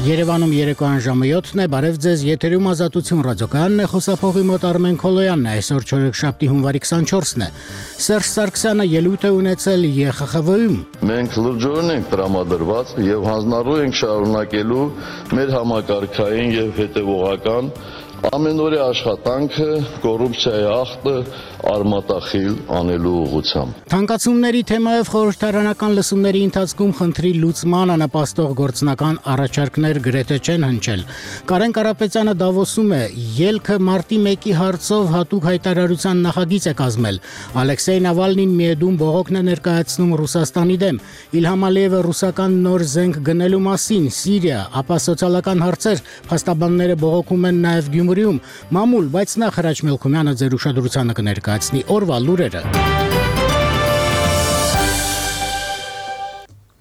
Երևանում երեկոյան ժամը 7-ն է, բարև ձեզ, եթերում Ազատություն ռադիոկայանն է, խոսափողի մոտ Արմեն Քոլոյանն է, այսօր չորեքշաբթի հունվարի 24-ն է։ Սերժ Սարգսյանը ելույթ է ունեցել ԵԽԽՎ-ում։ Մենք լրջորեն ենք տրամադրված եւ հանձնառու ենք շարունակելու մեր համակարգային եւ հետեւողական ամենօրյա աշխատանքը կոռուպցիայի ախտը արմատախիլ անելու ուղղությամբ։ Թանկացումների թեմայով խորհրդարանական լսումների ընթացքում խնդրի լուծմանը նպաստող գործնական առաջարկներ գրեթե չեն հնչել։ Կարեն Կարապետյանը Դավոսում է, ելքը մարտի 1-ի հարցով հատուկ հայտարարության նախագիծ է կազմել։ Ալեքսեյ Նավալնին միեդում բողոքն է ներկայացնում Ռուսաստանի դեմ։ Իլհամ Ալիևը ռուսական նոր զենք գնելու մասին, Սիրիա, ապա սոցիալական հարցեր, փաստաբանները բողոքում են նաև Գյումրիում։ Մամուլ, բայց նախ Հրաչ Մելքումյանը ձեր ուշադրությանը կներկայացնի օրվա լուրերը։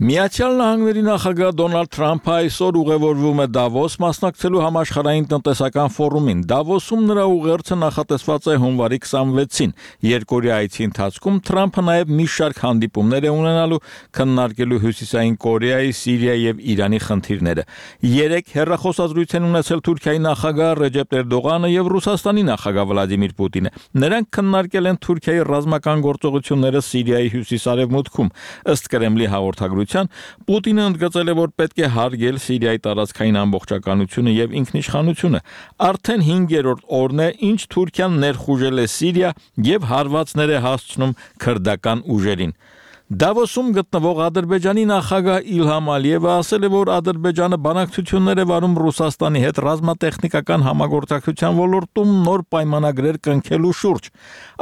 Միացյալ Նահանգների նախագահ Դոնալդ Թրամփը այսօր ուղևորվում է Դավոս մասնակցելու համաշխարհային տնտեսական ֆորումին։ Դավոսում նրա ուղերձը նախատեսված է հունվարի 26-ին։ Երկօրյա այցի ընթացքում Թրամփը նաև մի շարք հանդիպումներ է ունենալու քննարկելու Հյուսիսային Կորեայի, Սիրիայի եւ Իրանի խնդիրները։ Երեք հեռախոսազրույց են ունեցել Թուրքիայի նախագահ Ռեջեփ Էրդողանը եւ Ռուսաստանի նախագահ Վլադիմիր Պուտինը։ Նրանք քննարկել են Թուրքիայի ռազմական գործողությունները Սիրիայի հյուսիս-արևմուտքում։ Ըստ Կրեմլի հաղորդագրության Պուտինը ընդգծել է, որ պետք է հարգել Սիրիայի տարածքային ամբողջականությունը եւ ինքնիշխանությունը։ Արդեն 5-րդ օրն է, ինչ Թուրքիան ներխուժել է Սիրիա եւ հարվածներ է հասցնում քրդական ուժերին։ Դավոսում գտնվող Ադրբեջանի նախագահ Իլհամ Ալիևը ասել է, որ Ադրբեջանը բանակցություններ է վարում Ռուսաստանի հետ ռազմատեխնիկական համագործակցության ոլորտում նոր պայմանագրեր կնքելու շուրջ։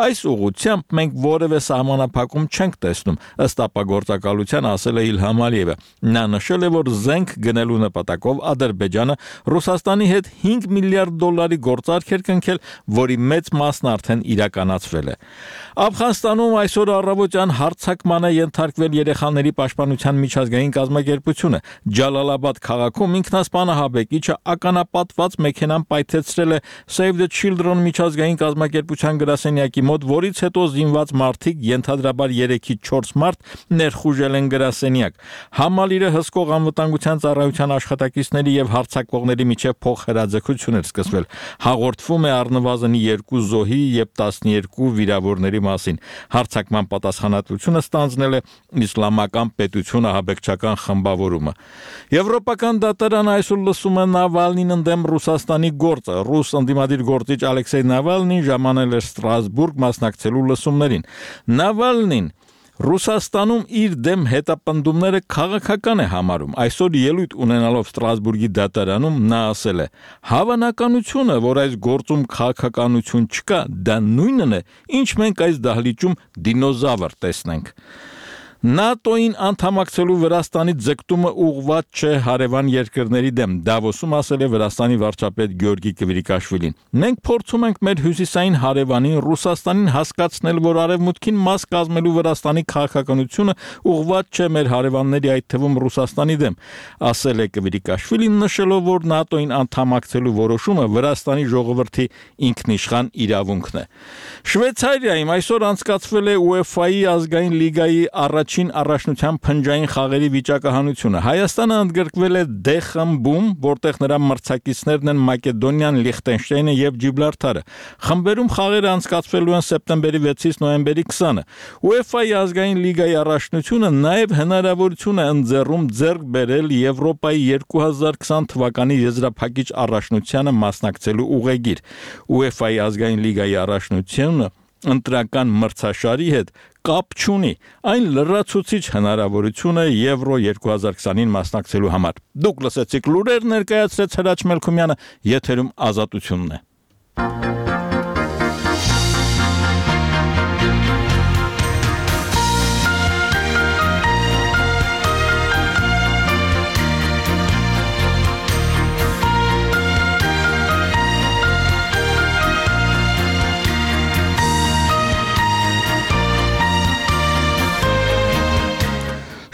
Այս ուղղությամբ մենք որևէ սահմանափակում չենք տեսնում, ըստ ապագործակալության ասել է Իլհամ Ալիևը։ Նա նշել է, որ զենք գնելու նպատակով Ադրբեջանը Ռուսաստանի հետ $5 միլիարդ գործարք էր կնքել, որի մեծ մասն արդեն իրականացվել է։ Աֆղանստանում այսօր առավոտյան հարձակման է ենթարկվել երեխաների պաշտպանության միջազգային կազմակերպությունը։ Ջալալաբադ քաղաքում ինքնասպան ահաբեկիչը ականապատված մեքենան պայթեցրել է Save the Children միջազգային կազմակերպության գրասենյակի մոտ, որից հետո զինված մարդիկ, ենթադրաբար 3-ից 4 մարդ, ներխուժել են գրասենյակ։ Համալիրը հսկող անվտանգության ծառայության աշխատակիցների եւ հարձակվողների միջև փոխհրաձգություն էր սկսվել։ Հաղորդվում է առնվազն 2 զոհի եւ 12 վիրավորների մասին։ Հարձակման պատասխանատվությունը ստանձնել է Իսլամական պետություն ահաբեկչական խմբավորումը։ Եվրոպական դատարանը այսօր լսում է Նավալնին ընդդեմ Ռուսաստանի գործը։ Ռուս ընդդիմադիր գործիչ Ալեքսեյ Նավալնին ժամանել է Ստրասբուրգ մասնակցելու լսումներին։ Նավալնին Ռուսաստանում իր դեմ հետապնդումները քաղաքական է համարում։ Այսօր ելույթ ունենալով Ստրասբուրգի դատարանում նա ասել է. «Հավանականությունը, որ այս գործում քաղաքականություն չկա, դա նույնն է, ինչ մենք այս դահլիճում դինոզավր տեսնենք»։ ՆԱՏՕ-ին անդամակցելու Վրաստանի ձգտումը ուղղված չէ հարևան երկրների դեմ, Դավոսում ասել է Վրաստանի վարչապետ Գյորգի Կվիրիկաշվիլին։ Մենք փորձում ենք մեր հյուսիսային հարևանին Ռուսաստանին հասկացնել, որ արևմուտքին մաս կազմելու Վրաստանի քաղաքականությունը ուղղված չէ մեր հարևանների, այդ թվում Ռուսաստանի դեմ, ասել է Կվիրիկաշվիլին, նշելով, որ ՆԱՏՕ-ին անդամակցելու որոշումը Վրաստանի ժողովրդի ինքնիշխան իրավունքն է։ Շվեյցարիայում այսօր անցկացվել է UEFA-ի ազգային լիգայի առաջին առաջնության փնջային խաղերի վիճակահանությունը։ Հայաստանը ընդգրկվել է D խմբում, որտեղ նրա մրցակիցներն են Մակեդոնիան, Լիխտենշտեյնը եւ Ջիբրալթարը։ Խմբերում խաղերը անցկացվելու են սեպտեմբերի 6-ից նոյեմբերի 20-ը։ UEFA-ի ազգային լիգայի առաջնությունը նաև հնարավորություն է ընձեռում ձեռք բերել Եվրոպայի 2020 թվականի եզրափակիչ առաջնությանը մասնակցելու ուղեգիր։ UEFA-ի ազգային լիգայի առաջնությունը ընտրական մրցաշարի հետ կապ չունի, այն լրացուցիչ հնարավորություն է Եվրո 2020-ին մասնակցելու համար։ Դուք լսեցիք լուրեր, ներկայացրեց Հրաչ Մելքումյանը, եթերում Ազատությունն է։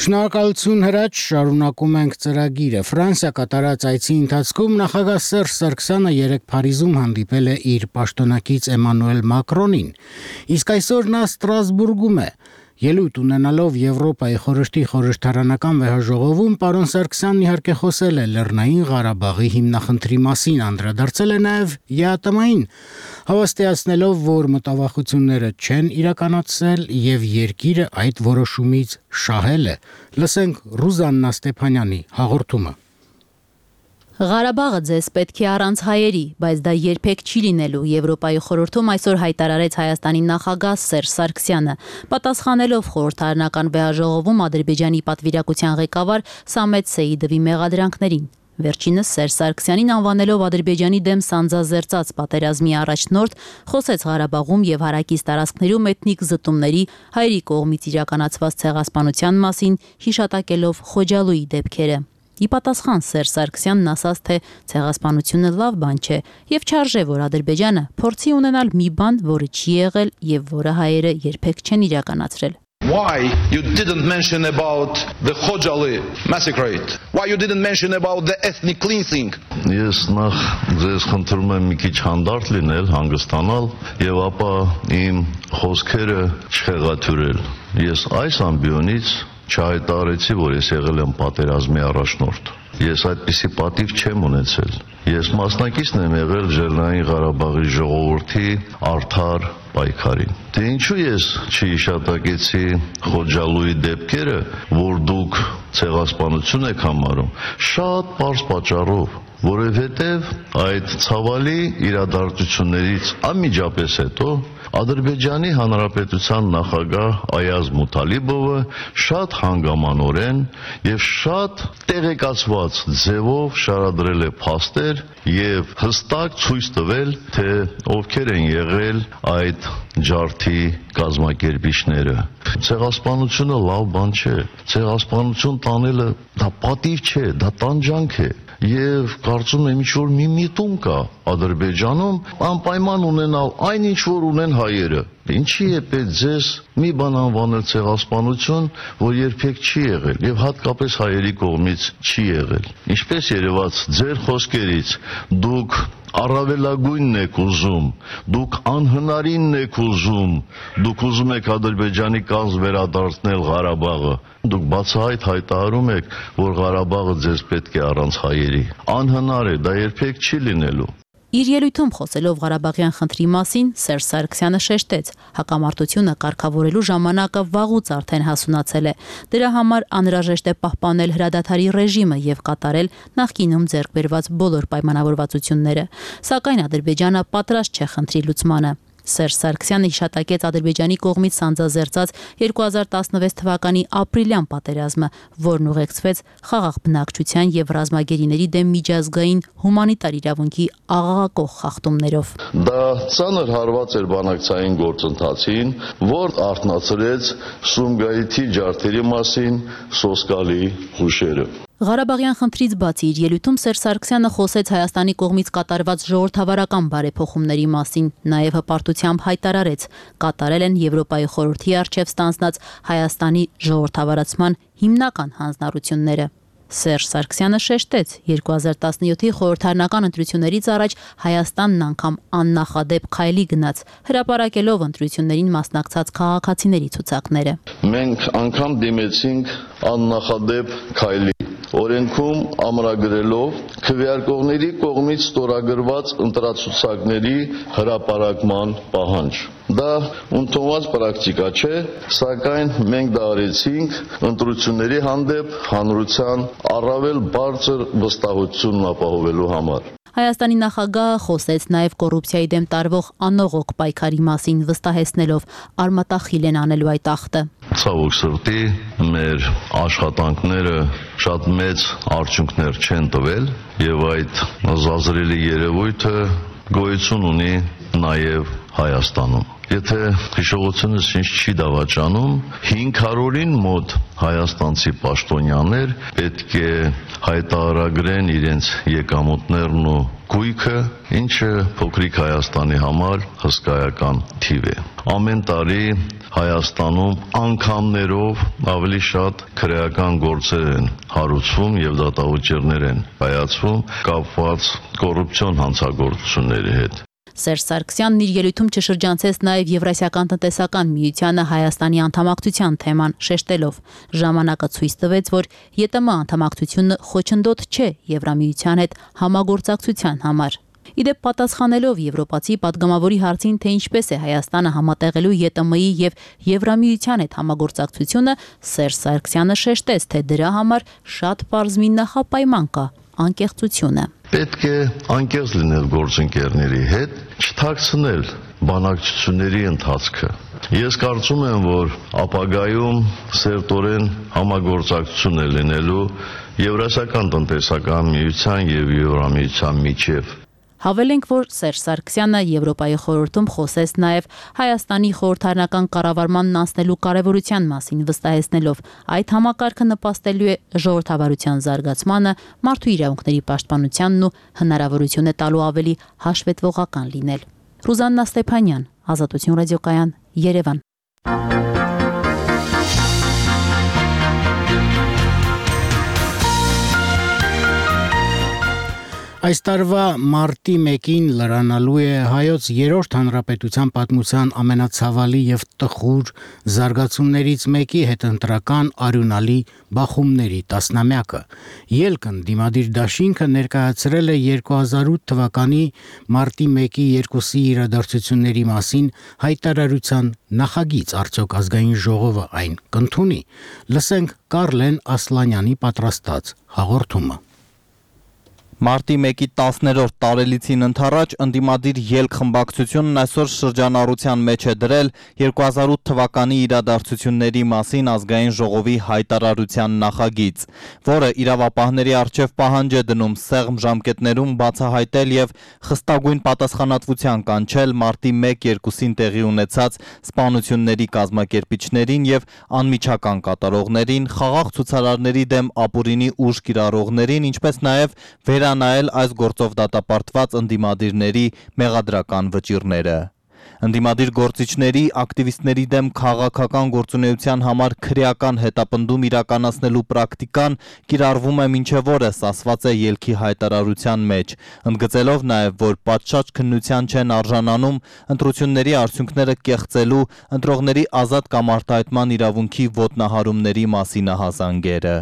Շնորհակալություն Հրաչ, շարունակում ենք ծրագիրը։ Ֆրանսիա կատարած այցի ընթացքում նախագահ Սերժ Սարգսյանը երեկ Փարիզում հանդիպել է իր պաշտոնակից Էմանուել Մակրոնին, իսկ այսօր նա Ստրասբուրգում է։ Ելույթ ունենալով Եվրոպայի խորհրդի խորհրդարանական վեհաժողովում պարոն Սարգսյանն իհարկե խոսել է Լեռնային Ղարաբաղի հիմնախնդրի մասին, անդրադարձել է նաև ԵԱՏՄ-ին, հավաստիացնելով, որ մտավախությունները չեն իրականացել եւ երկիրը այդ որոշումից շահել է։ Լսենք Ռուզաննա Ստեփանյանի հաղորդումը։ Ղարաբաղը ձեզ պետք է առանց հայերի, բայց դա երբեք չի լինելու, Եվրոպայի խորհրդում այսօր հայտարարեց Հայաստանի նախագահ Սերժ Սարգսյանը, պատասխանելով խորհրդարանական վեհաժողովում Ադրբեջանի պատվիրակության ղեկավար Սամետ Սեիդովի մեղադրանքներին։ Վերջինս Սերժ Սարգսյանին անվանելով Ադրբեջանի դեմ սանձազերծած պատերազմի առաջնորդ, խոսեց Ղարաբաղում եւ հարակից տարածքներում էթնիկ զտումների հայերի կողմից իրականացված ցեղասպանության մասին, հիշատակելով Խոջալույի դեպքերը։ Ի պատասխան Սերժ Սարգսյանն ասաց, թե ցեղասպանությունը լավ բան չէ եւ չարժե, որ Ադրբեջանը փորձի ունենալ մի բան, որը չի եղել եւ որը հայերը երբեք չեն իրականացրել։ Why you didn't mention about the Khojaly massacre? Why you didn't mention about the ethnic cleansing? Ես նախ ձեզ խնդրում եմ մի քիչ հանդարտ լինել, հանգստանալ եւ ապա իմ խոսքերը չխեղաթյուրել։ Ես այս ամբիոնից չհայտարարեցի, որ ես եղել եմ պատերազմի առաջնորդ։ Ես այդպիսի պատիվ չեմ ունեցել։ Ես մասնակիցն եմ եղել Լեռնային Ղարաբաղի ժողովրդի արդար պայքարին։ Դե ինչու ես չհիշատակեցի Խոջալույի դեպքերը, որ դուք ցեղասպանություն եք համարում, շատ պարզ պատճառով, որովհետև այդ ցավալի իրադարձություններից անմիջապես հետո Ադրբեջանի Հանրապետության նախագահ Այազ Մութալիբովը շատ հանգամանորեն եւ շատ տեղեկացված ձևով շարադրել է փաստեր եւ հստակ ցույց տվել, թե ովքեր են եղել այդ ջարդի կազմակերպիչները։ Ցեղասպանությունը լավ բան չէ։ Ցեղասպանություն տանելը դա պատիվ չէ, դա տանջանք է։ Եվ կարծում եմ ինչ-որ մի միտում կա Ադրբեջանում անպայման ունենալ այն ինչ որ ունեն հայերը։ Ինչի է պետք ձեզ մի բան անվանել ցեղասպանություն, որ երբեք չի եղել եւ հատկապես հայերի կողմից չի եղել։ Ինչպես երևաց ձեր խոսքերից, դուք առավելագույնն եք ուզում, դուք անհնարինն եք ուզում, դուք ուզում եք Ադրբեջանի կազմ վերադարձնել Ղարաբաղը։ Դուք բացահայտ հայտարարում եք, որ Ղարաբաղը ձեզ պետք է առանց հայերի։ Անհնար է, դա երբեք չի լինելու։ Իր ելույթում խոսելով Ղարաբաղյան խնդրի մասին, Սերժ Սարգսյանը շեշտեց, հակամարտությունը կարգավորելու ժամանակը վաղուց արդեն հասունացել է։ Դրա համար անհրաժեշտ է պահպանել հրադադարի ռեժիմը եւ կատարել նախկինում ձեռք բերված բոլոր պայմանավորվածությունները։ Սակայն Ադրբեջանը պատրաստ չէ խնդրի լուծմանը։ Սերժ Սարգսյանը հիշատակեց Ադրբեջանի կողմից սանձազերծած 2016 թվականի ապրիլյան պատերազմը, որն ուղեկցվեց խաղաղ բնակչության եւ ռազմագերիների դեմ միջազգային հումանիտար իրավունքի աղաղակող խախտումներով։ Դա ցաներ հարված էր բանակցային գործընթացին, որ արթնացրեց Սումգայիթի ջարդերի մասին սոսկալի հուշերը։ Ղարաբաղյան խնդրից բացի իր ելույթում Սերժ Սարգսյանը խոսեց Հայաստանի կողմից կատարված ժողովրդավարական բարեփոխումների մասին, նաև հպարտությամբ հայտարարեց, կատարել են Եվրոպայի խորհրդի առջև ստանձնած Հայաստանի ժողովրդավարացման հիմնական հանձնառությունները։ Սերժ Սարգսյանը շեշտեց, 2017-ի խորհրդարանական ընտրություններից առաջ Հայաստանն անգամ աննախադեպ քայլի գնաց, հրապարակելով ընտրություններին մասնակցած քաղաքացիների ցուցակները։ Մենք անգամ դիմեցինք աննախադեպ քայլի, օրենքում ամրագրելով քվեարկողների կողմից ստորագրված ընտրացուցակների հրապարակման պահանջ։ Դա ընդունված պրակտիկա չէ, սակայն մենք դա արեցինք ընտրությունների հանդեպ հանրության առավել բարձր վստահությունն ապահովելու համար։ Հայաստանի նախագահը խոսեց նաև կոռուպցիայի դեմ տարվող անողոք պայքարի մասին, վստահեցնելով արմատախիլ են անելու այդ ախտը։ Ցավոք սրտի մեր աշխատանքները շատ մեծ արդյունքներ չեն տվել եւ այդ զազրելի երևույթը գոյություն ունի նաև Հայաստանում։ Եթե հիշողությունս ինձ չի դավաճանում, 500-ին մոտ հայաստանցի պաշտոնյաներ պետք է հայտարարագրեն իրենց եկամուտներն ու գույքը, ինչը փոքրիկ Հայաստանի համար հսկայական թիվ է։ Ամեն տարի Հայաստանում անգամներով ավելի շատ քրեական գործեր են հարուցվում եւ դատավճիռներ են կայացվում կապված կոռուպցիոն հանցագործությունների հետ։ Սերժ Սարգսյանն իր ելույթում չշրջանցեց նաև Եվրասիական տնտեսական միությանը Հայաստանի անդամակցության թեման, շեշտելով. ժամանակը ցույց տվեց, որ ԵՏՄ անդամակցությունը խոչընդոտ չէ Եվրամիության հետ համագործակցության համար։ Իդեպ պատասխանելով եվրոպացի պատգամավորի հարցին, թե ինչպես է Հայաստանը համատեղելու ԵՏՄ-ի եւ Եվրամիության հետ համագործակցությունը, Սերժ Սարգսյանը շեշտեց, թե դրա համար շատ պարզ մի նախապայման կա՝ անկեղծությունը։ Պետք է անկեղծ լինել գործընկերների հետ, չթաքցնել բանակցությունների ընթացքը։ Ես կարծում եմ, որ ապագայում սերտորեն համագործակցություն է լինելու Եվրասիական տնտեսական միության եւ Եվրամիության միջև։ Հավելենք, որ Սերժ Սարգսյանը Եվրոպայի խորհրդում խոսեց նաև Հայաստանի խորհրդարանական կառավարմանն անցնելու կարևորության մասին, վստահեցնելով, այդ համակարգը նպաստելու է ժողովրդավարության զարգացմանը, մարդու իրավունքների պաշտպանությանն ու հնարավորություն է տալու ավելի հաշվետվողական լինել։ Ռուզաննա Ստեփանյան, Ազատություն ռադիոկայան, Երևան։ Այս տարվա մարտի 1-ին լրանալու է հայոց 3-րդ հանրապետության պատմության ամենացավալի եւ տխուր զարգացումներից մեկի հետընտրական արյունալի բախումների տասնամյակը։ Ելքն դիմադիր դաշինքը ներկայացրել է 2008 թվականի մարտի 1-ի 2-ի իրադարձությունների մասին հայտարարության նախագիծ, արդյոք ազգային ժողովը այն կընդունի։ Լսենք Կարլեն Ասլանյանի պատրաստած հաղորդումը։ Մարտի 1-ի 10-րդ տարելիցին ընթառաջ ընդդիմադիր ելք խմբակցությունն այսօր շրջանառության մեջ է դրել 2008 թվականի իրադարձությունների մասին ազգային ժողովի հայտարարության նախագիծ, որը իրավապահների առջև պահանջ է դնում սեղմ ժամկետներում բացահայտել եւ խստագույն պատասխանատվության կանչել մարտի 1-2-ին տեղի ունեցած սպանությունների կազմակերպիչներին եւ անմիջական կատարողներին, խաղաղ ցուցարարների դեմ ապուրինի ուժ կիրառողներին, ինչպես նաեւ նայել այս գործով դատապարտված ընդդիմադիրների մեղադրական վճիռները։ Ընդդիմադիր գործիչների, ակտիվիստների դեմ քաղաքական գործունեության համար քրեական հետապնդում իրականացնելու պրակտիկան կիրառվում է մինչև օրս, ասված է ելքի հայտարարության մեջ, ընդգծելով նաև, որ պատշաճ քննության չեն արժանանում ընտրությունների արդյունքները կեղծելու, ընտրողների ազատ կամ արտահայտման իրավունքի ոտնահարումների մասինահազանգերը։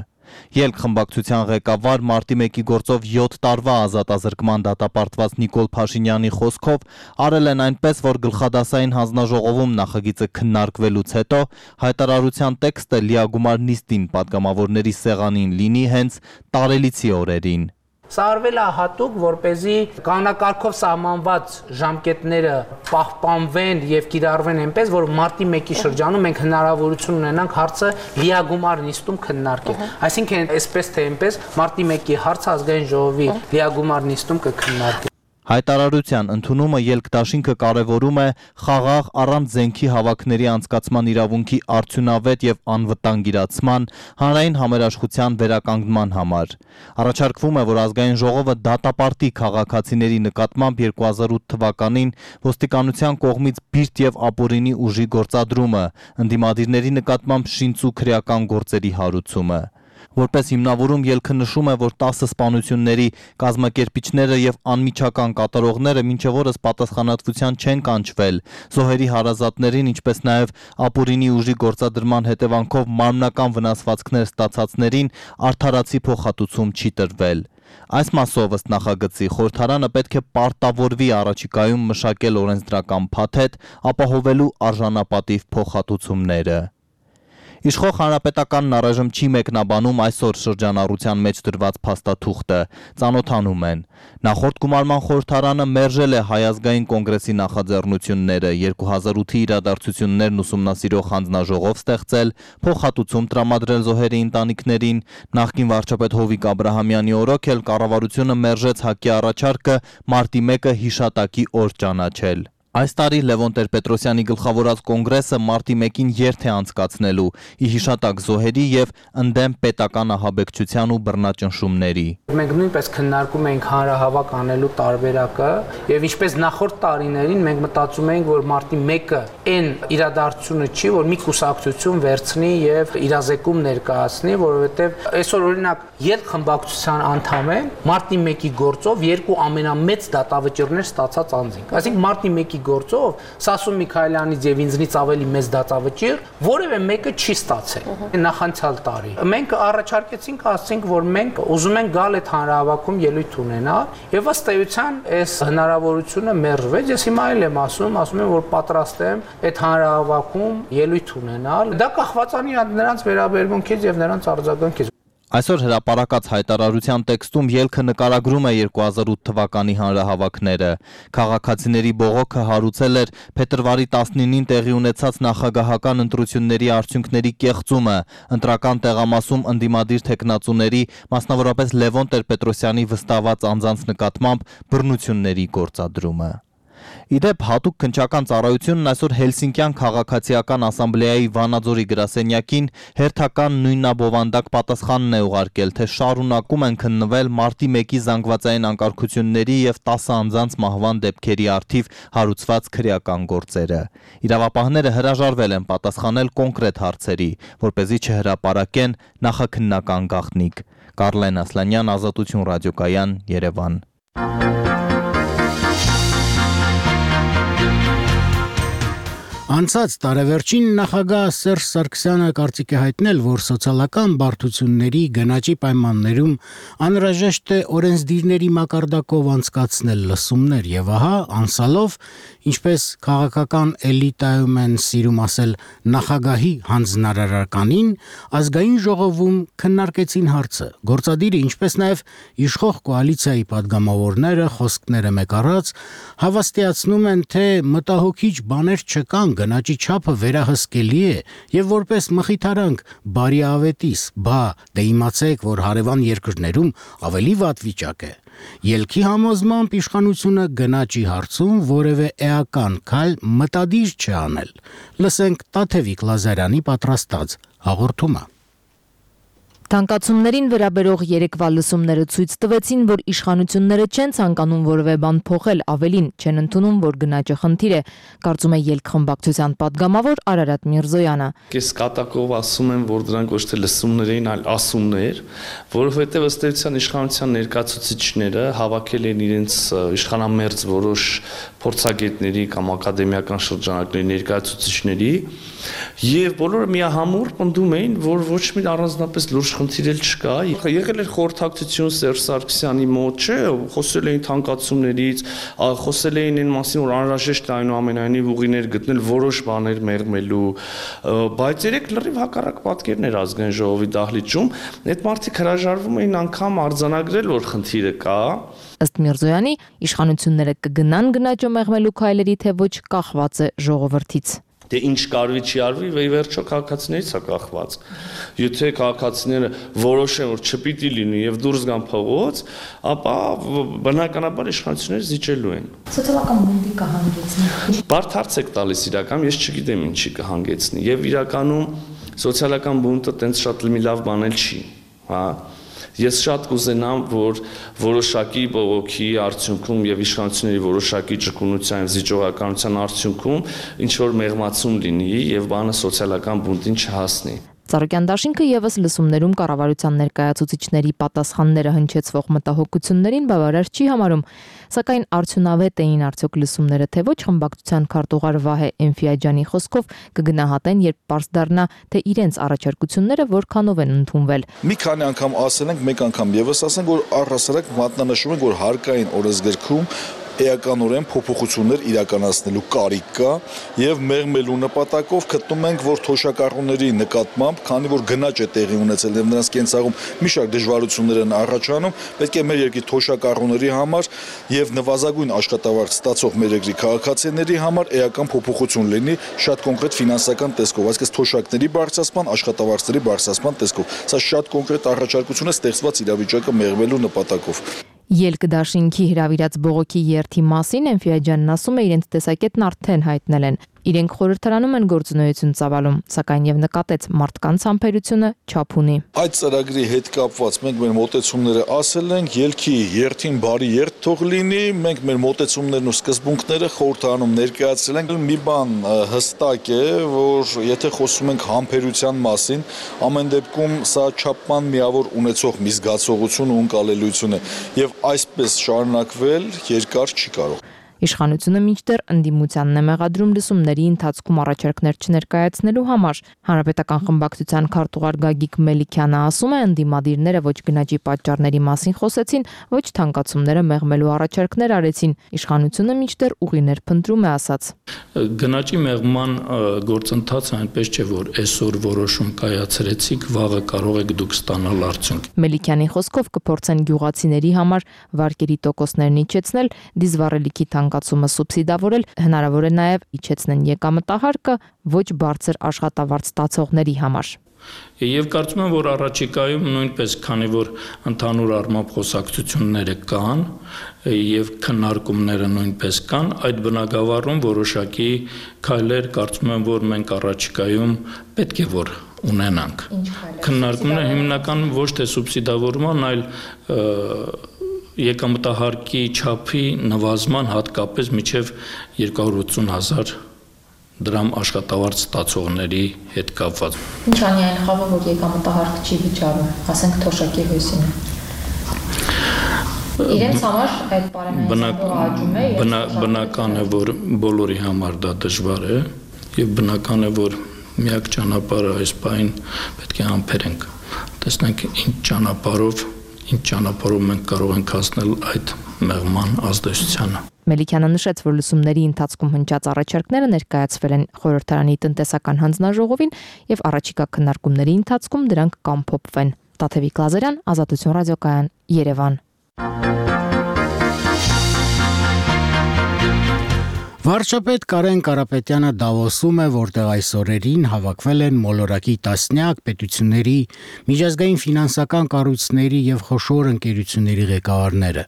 Ելք խմբակցության ղեկավար մարտի 1-ի գործով 7 տարվա ազատազրկման դատապարտված Նիկոլ Փաշինյանի խոսքով արել են այնպես, որ գլխադասային հանձնաժողովում նախագիծը քննարկվելուց հետո հայտարարության տեքստը լիագումար նիստին պատգամավորների սեղանին լինի հենց տարելիցի օրերին։ Սա արվել է հատուկ, որպեսզի կանոնակարգով սահմանված ժամկետները պահպանվեն եւ կիրառվեն այնպես, որ մարտի 1-ի շրջանում մենք հնարավորություն ունենանք հարցը լիագումար նիստում քննարկել։ Այսինքն, այսպես թե այնպես, մարտի 1-ի հարցը ազգային ժողովի լիագումար նիստում կքննարկվի։ Հայտարարության ընդունումը ելքդաշինքը կարևորում է խաղաղ առանց զենքի հավաքների անցկացման իրավունքի արդյունավետ եւ անվտանգ իրացման, հանրային համերաշխության վերականգնման համար։ Առաջարկվում է, որ ազգային ժողովը դատապարտի քաղաքացիների նկատմամբ 2008 թվականին ոստիկանության կողմից բիրտ եւ ապօրինի ուժի գործադրումը, ընդդիմադիրների նկատմամբ շինծու քրեական գործերի հարուցումը։ Որպես հիմնավորում ելքը նշում է, որ 10 սպանությունների կազմակերպիչները եւ անմիջական կատարողները մինչև օրս պատասխանատվության չեն կանչվել, զոհերի հարազատներին, ինչպես նաեւ ապօրինի ուժի գործադրման հետևանքով մարմնական վնասվածքներ ստացածներին արդարացի փոխհատուցում չի տրվել։ Այս մասով ըստ նախագծի խորհրդարանը պետք է պարտավորվի առաջիկայում մշակել օրենսդրական փաթեթ, ապահովելու արժանապատիվ փոխհատուցումները։ Իշխող հանրապետականն առայժմ չի մեկնաբանում այսօր շրջանառության մեջ դրված փաստաթուղթը, ծանոթանում են։ Նախորդ գումարման խորհրդարանը մերժել է Հայ ազգային կոնգրեսի նախաձեռնությունները 2008-ի իրադարձություններն ուսումնասիրող հանձնաժողով ստեղծել, փոխհատուցում տրամադրել զոհերի ընտանիքներին, նախկին վարչապետ Հովիկ Աբրահամյանի օրոք էլ կառավարությունը մերժեց ՀԱԿ-ի առաջարկը մարտի 1-ը հիշատակի օր ճանաչել։ Այս տարի Լևոն Տեր-Պետրոսյանի գլխավորած կոնգրեսը մարտի 1-ին երթ է անցկացնելու՝ ի հիշատակ զոհերի եւ ընդդեմ պետական ահաբեկչության ու բռնաճնշումների։ մենք նույնպես քննարկում էինք հանրահավաք անելու տարբերակը եւ ինչպես նախորդ տարիներին մենք մտածում էինք, որ մարտի 1-ը այն իրադարձությունը չի, որ մի կուսակցություն վերցնի եւ իրազեկում ներկայացնի, որովհետեւ այսօր օրինակ ելք խմբակցության անդամ են մարտի 1-ի գործով երկու ամենամեծ դատավճիռներ ստացած անձինք։ Այսինքն մարտի 1-ի գործով Սասուն Միքայելյանից եւ ինձնից ավելի մեծ դատավճիռ որևէ մեկը չի ստացել նախանցյալ տարի։ Մենք առաջարկեցինք, ասենք, որ մենք ուզում ենք գալ այդ հանրահավաքում ելույթ ունենալ եւ ըստ էության այս հնարավորությունը մերժվեց։ Ես հիմա էլ եմ ասում եմ, որ պատրաստ եմ այդ հանրահավաքում ելույթ ունենալ։ Դա կախված է նրանց վերաբերմունքից եւ նրանց արձագանքից։ Այսօր հրապարակած հայտարարության տեքստում ելքը նկարագրում է 2008 թվականի հանրահավաքները։ Քաղաքացիների բողոքը հարուցել էր փետրվարի 19-ին տեղի ունեցած նախագահական ընտրությունների արդյունքների կեղծումը, ընտրական տեղամասում ընդդիմադիր թեկնածուների, մասնավորապես Լևոն Տեր-Պետրոսյանի վստահված անձանց նկատմամբ բռնությունների գործադրումը։ Իդեպ հատուկ քննչական ծառայությունն այսօր Հելսինկյան քաղաքացիական ասամբլեայի Վանաձորի գրասենյակին հերթական նույնաբովանդակ պատասխանն է ուղարկել, թե շարունակում են քննվել մարտի 1-ի զանգվածային անկարգությունների եւ 10 անձանց մահվան դեպքերի առթիվ հարուցված քրեական գործերը։ Իրավապահները հրաժարվել են պատասխանել կոնկրետ հարցերի, որպեսզի չհրապարակեն նախաքննական գաղտնիք։ Կարլեն Ասլանյան, Ազատություն ռադիոկայան, Երևան։ Անցած տարեվերջին նախագահ Սերժ Սարգսյանը կարծիք է հայտնել, որ սոցիալական բարդությունների գնաճի պայմաններում անհրաժեշտ է օրենսդիրների մակարդակով անցկացնել լսումներ եւ ահա անցալով, ինչպես քաղաքական էլիտայում են սիրում ասել, նախագահի հանձնարարականին, ազգային ժողովում քննարկեցին հարցը։ Գործադիրը, ինչպես նաեւ իշխող կոալիցիայի падգամավորները խոսքները մեկ առած հավաստիացնում են, թե մտահոգիչ բաներ չկան, գնաճի չափը վերահսկելի է եւ որպես մխիթարանք բարիավետիս, դե իմացեք, որ հարևան երկրներում ավելի վատ վիճակ է։ Ելքի համոզմամբ իշխանությունը գնաճի հարցում որևէ էական քայլ մտադիր չի անել։ Լսենք Տաթևիկ Լազարյանի պատրաստած հաղորդումը։ Թանկացումներին վերաբերող երեկվա լսումները ցույց տվեցին, որ իշխանությունները չեն ցանկանում որևէ բան փոխել, ավելին չեն ընդունում, որ գնաճը խնդիր է, կարծում է ելք խմբակցության падգամավոր Արարատ Միրզոյանը։ Ես կատակով ասում եմ, որ դրանք ոչ թե լսումներ էին, այլ ասումներ, որովհետև ըստ էության իշխանության ներկայացուցիչները հավաքել են իրենց իշխանամերձ որոշ փորձագետների կամ ակադեմիական շրջանակների ներկայացուցիչների եւ բոլորը միահամուռ պնդում էին, որ ոչ մի առանձնապես լուրջ խնդիր էլ չկա։ Եղել էր խորհրդակցություն Սերժ Սարգսյանի մոտ, չէ, խոսել էին թանկացումներից, խոսել էին այն մասին, որ անհրաժեշտ է այնուամենայնիվ ուղիներ գտնել որոշ բաներ մեղմելու, բայց երեք լրիվ հակառակ պատկերն էր ազգային ժողովի դահլիճում, այդ մարդիկ հրաժարվում էին անգամ արձանագրել, որ խնդիրը կա։ Ըստ Միրզոյանի, իշխանությունները կգնան գնաճը մեղմելու քայլերի, թե ոչ կախված է ժողովրդից։ Դե ինչ կարվի չի արվի, վերջո քաղաքացիներից է կախված։ Եթե քաղաքացիները որոշեն, որ չպիտի լինի եւ դուրս գան փողոց, ապա բնականաբար իշխանությունները զիջելու են։ Սոցիալական բունտի կհանգեցնի։ Բարդ հարց եք տալիս իրական, ես չգիտեմ ինչի կհանգեցնի եւ իրականում սոցիալական բունտը տենց շատ մի լավ բան էլ չի, հա։ Ես շատ կուզենամ, որ որոշակի բողոքի արդյունքում եւ իշխանությունների որոշակի ճկունության եւ զիջողականության արդյունքում ինչ որ մեղմացում լինի եւ բանը սոցիալական բունտին չհասնի։ Ծառուկյան դաշինքը եւս լսումներում կառավարության ներկայացուցիչների պատասխանները հնչեցվող մտահոգություններին բավարար չի համարում, սակայն արդյունավետ էին արդյոք լսումները, թե ոչ խմբակցության քարտուղար Վահե Էնֆիաջյանի խոսքով կգնահատեն, երբ պարզ դառնա, թե իրենց առաջարկությունները որքանով են ընդունվել։ Մի քանի անգամ ասել ենք, մեկ անգամ եւս ասենք, որ առհասարակ մատնանշում ենք, որ հարկային օրենսգրքում էականորեն փոփոխություններ իրականացնելու կարիք կա եւ մեղմելու նպատակով գտնում ենք, որ թոշակառուների նկատմամբ, քանի որ գնաճ է տեղի ունեցել եւ նրանց կենցաղում մի շարք դժվարություններ են առաջանում, պետք է մեր երկրի թոշակառուների համար եւ նվազագույն աշխատավարձ ստացող մեր երկրի քաղաքացիների համար էական փոփոխություն լինի շատ կոնկրետ ֆինանսական տեսքով, այսինքն թոշակների բարձրացման, աշխատավարձերի բարձրացման տեսքով։ Սա շատ կոնկրետ առաջարկություն է ստեղծված իրավիճակը մեղմելու նպատակով։ Ելք դաշինքի հրավիրած բողոքի երթի մասին Էնֆիաջյանն ասում է, իրենց տեսակետն արդեն հայտնել են։ Իրենք խորհրդարանում են գործունեություն ծավալում, սակայն եւ նկատեց մարդկանց համբերությունը չափ ունի։ Այդ ծրագրի հետ կապված մենք մեր մոտեցումները ասել ենք, ելքի երթին բարի երթ թող լինի, մենք մեր մոտեցումներն ու սկզբունքները խորհրդարանում ներկայացրել ենք։ Մի բան հստակ է, որ եթե խոսում ենք համբերության մասին, ամեն դեպքում սա չափման միավոր ունեցող մի զգացողություն ու ընկալելիություն է եւ այսպես շարունակվել երկար չի կարող։ Իշխանությունը մինչդեռ ընդդիմությանն է մեղադրում լսումների ընթացքում առաջարկներ չներկայացնելու համար։ Հանրապետական խմբակցության քարտուղար Գագիկ Մելիքյանը ասում է, ընդդիմադիրները ոչ գնաճի պատճառների մասին խոսեցին, ոչ թանկացումները մեղմելու առաջարկներ արեցին։ Իշխանությունը մինչդեռ ուղիներ փնտրում է ասաց։ Գնաճի մեղման գործընթացը այնպես չէ, որ այսօր որոշում կայացրեցիք, վաղը կարող եք դուք ստանալ արդյունք։ Մելիքյանի խոսքով կփորձեն գյուղացիների համար վարկերի տոկոսներն իջեցնել, դիզվառելիքի թանկացումը սուբսիդավորել, հնարավոր է նաև իջեցնեն եկամտահարկը ոչ բարձր աշխատավարձ ստացողների համար։ Եվ կարծում եմ, որ առաջիկայում նույնպես, քանի որ ընդհանուր առմամբ խոսակցությունները կան եւ քննարկումները նույնպես կան, այդ բնագավառում որոշակի քայլեր կարծում եմ, որ մենք առաջիկայում պետք է որ ունենանք։ Քննարկումները հիմնականում ոչ թե սուբսիդավորման, այլ եկամտահարկի չափի նվազման հատկապես մինչև 280,000 դրամ աշխատավարձ ստացողների հետ կապված։ Ինչ անի այն խավը, որ եկամտահարկը չի վճարում, ասենք թոշակի հույսինը։ Իրենց համար այդ պարենային աճում է։ Բնական է, որ բոլորի համար դա դժվար է եւ բնական է, որ միակ ճանապարհը այս պահին պետք է համբերենք։ Տեսնենք ինչ ճանապարհով մենք կարող ենք հասնել այդ մեղման ազդեցությանը։ Մելիքյանը նշեց, որ լսումների ընթացքում հնչած առաջարկները ներկայացվել են խորհրդարանի տնտեսական հանձնաժողովին եւ առաջիկա քննարկումների ընթացքում դրանք կամփոփվեն։ Տաթևիկ Լազարյան, Ազատություն ռադիոկայան, Երևան։ Վարչապետ Կարեն Կարապետյանը Դավոսում է, որտեղ այս օրերին հավաքվել են մոլորակի տասնյակ պետությունների, միջազգային ֆինանսական կառույցների եւ խոշոր ընկերությունների ղեկավարները։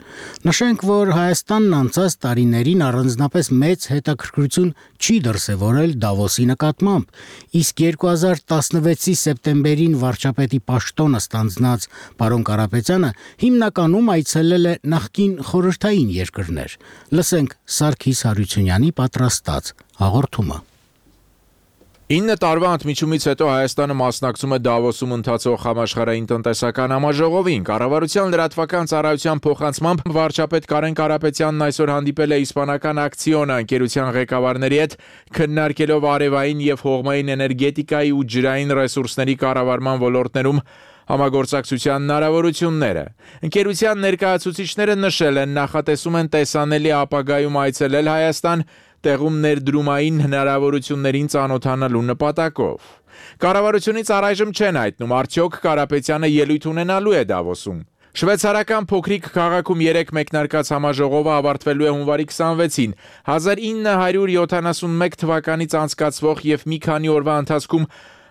Նշենք, որ Հայաստանն անցած տարիներին առանձնապես մեծ հետաքրքրություն չի դրսևորել Դավոսի նկատմամբ, իսկ 2016-ի սեպտեմբերին վարչապետի պաշտոնը ստանձնած պարոն Կարապետյանը հիմնականում այցելել է նախկին խորհրդային երկրներ։ Լսենք Սարգիս Հարությունյանի պատրաստած հաղորդումը։ 9 տարվա ընդմիջումից հետո Հայաստանը մասնակցում է Դավոսում ընթացող համաշխարհային տնտեսական համաժողովին։ Կառավարության լրատվական ծառայության փոխանցմամբ վարչապետ Կարեն Կարապետյանն այսօր հանդիպել է իսպանական Ակցիոնա ընկերության ղեկավարների հետ, քննարկելով արևային եւ հողմային էներգետիկայի ու ջրային ռեսուրսների կառավարման ոլորտներում համագործակցության հնարավորությունները։ Ընկերության ներկայացուցիչները նշել են, նախատեսում են տեսանելի ապագայում այցելել Հայաստան տեղում ներդրումային հնարավորություններին ծանոթանալու նպատակով։ Կառավարությունից առայժմ չեն հայտնում, արդյոք Կարապետյանը ելույթ ունենալու է Դավոսում։ Շվեյցարական փոքրիկ քաղաքում 3 մեկնարկած համաժողովը ավարտվելու է հունվարի 26-ին։ 1971 թվականից անցկացվող եւ մի քանի օրվա ընթացքում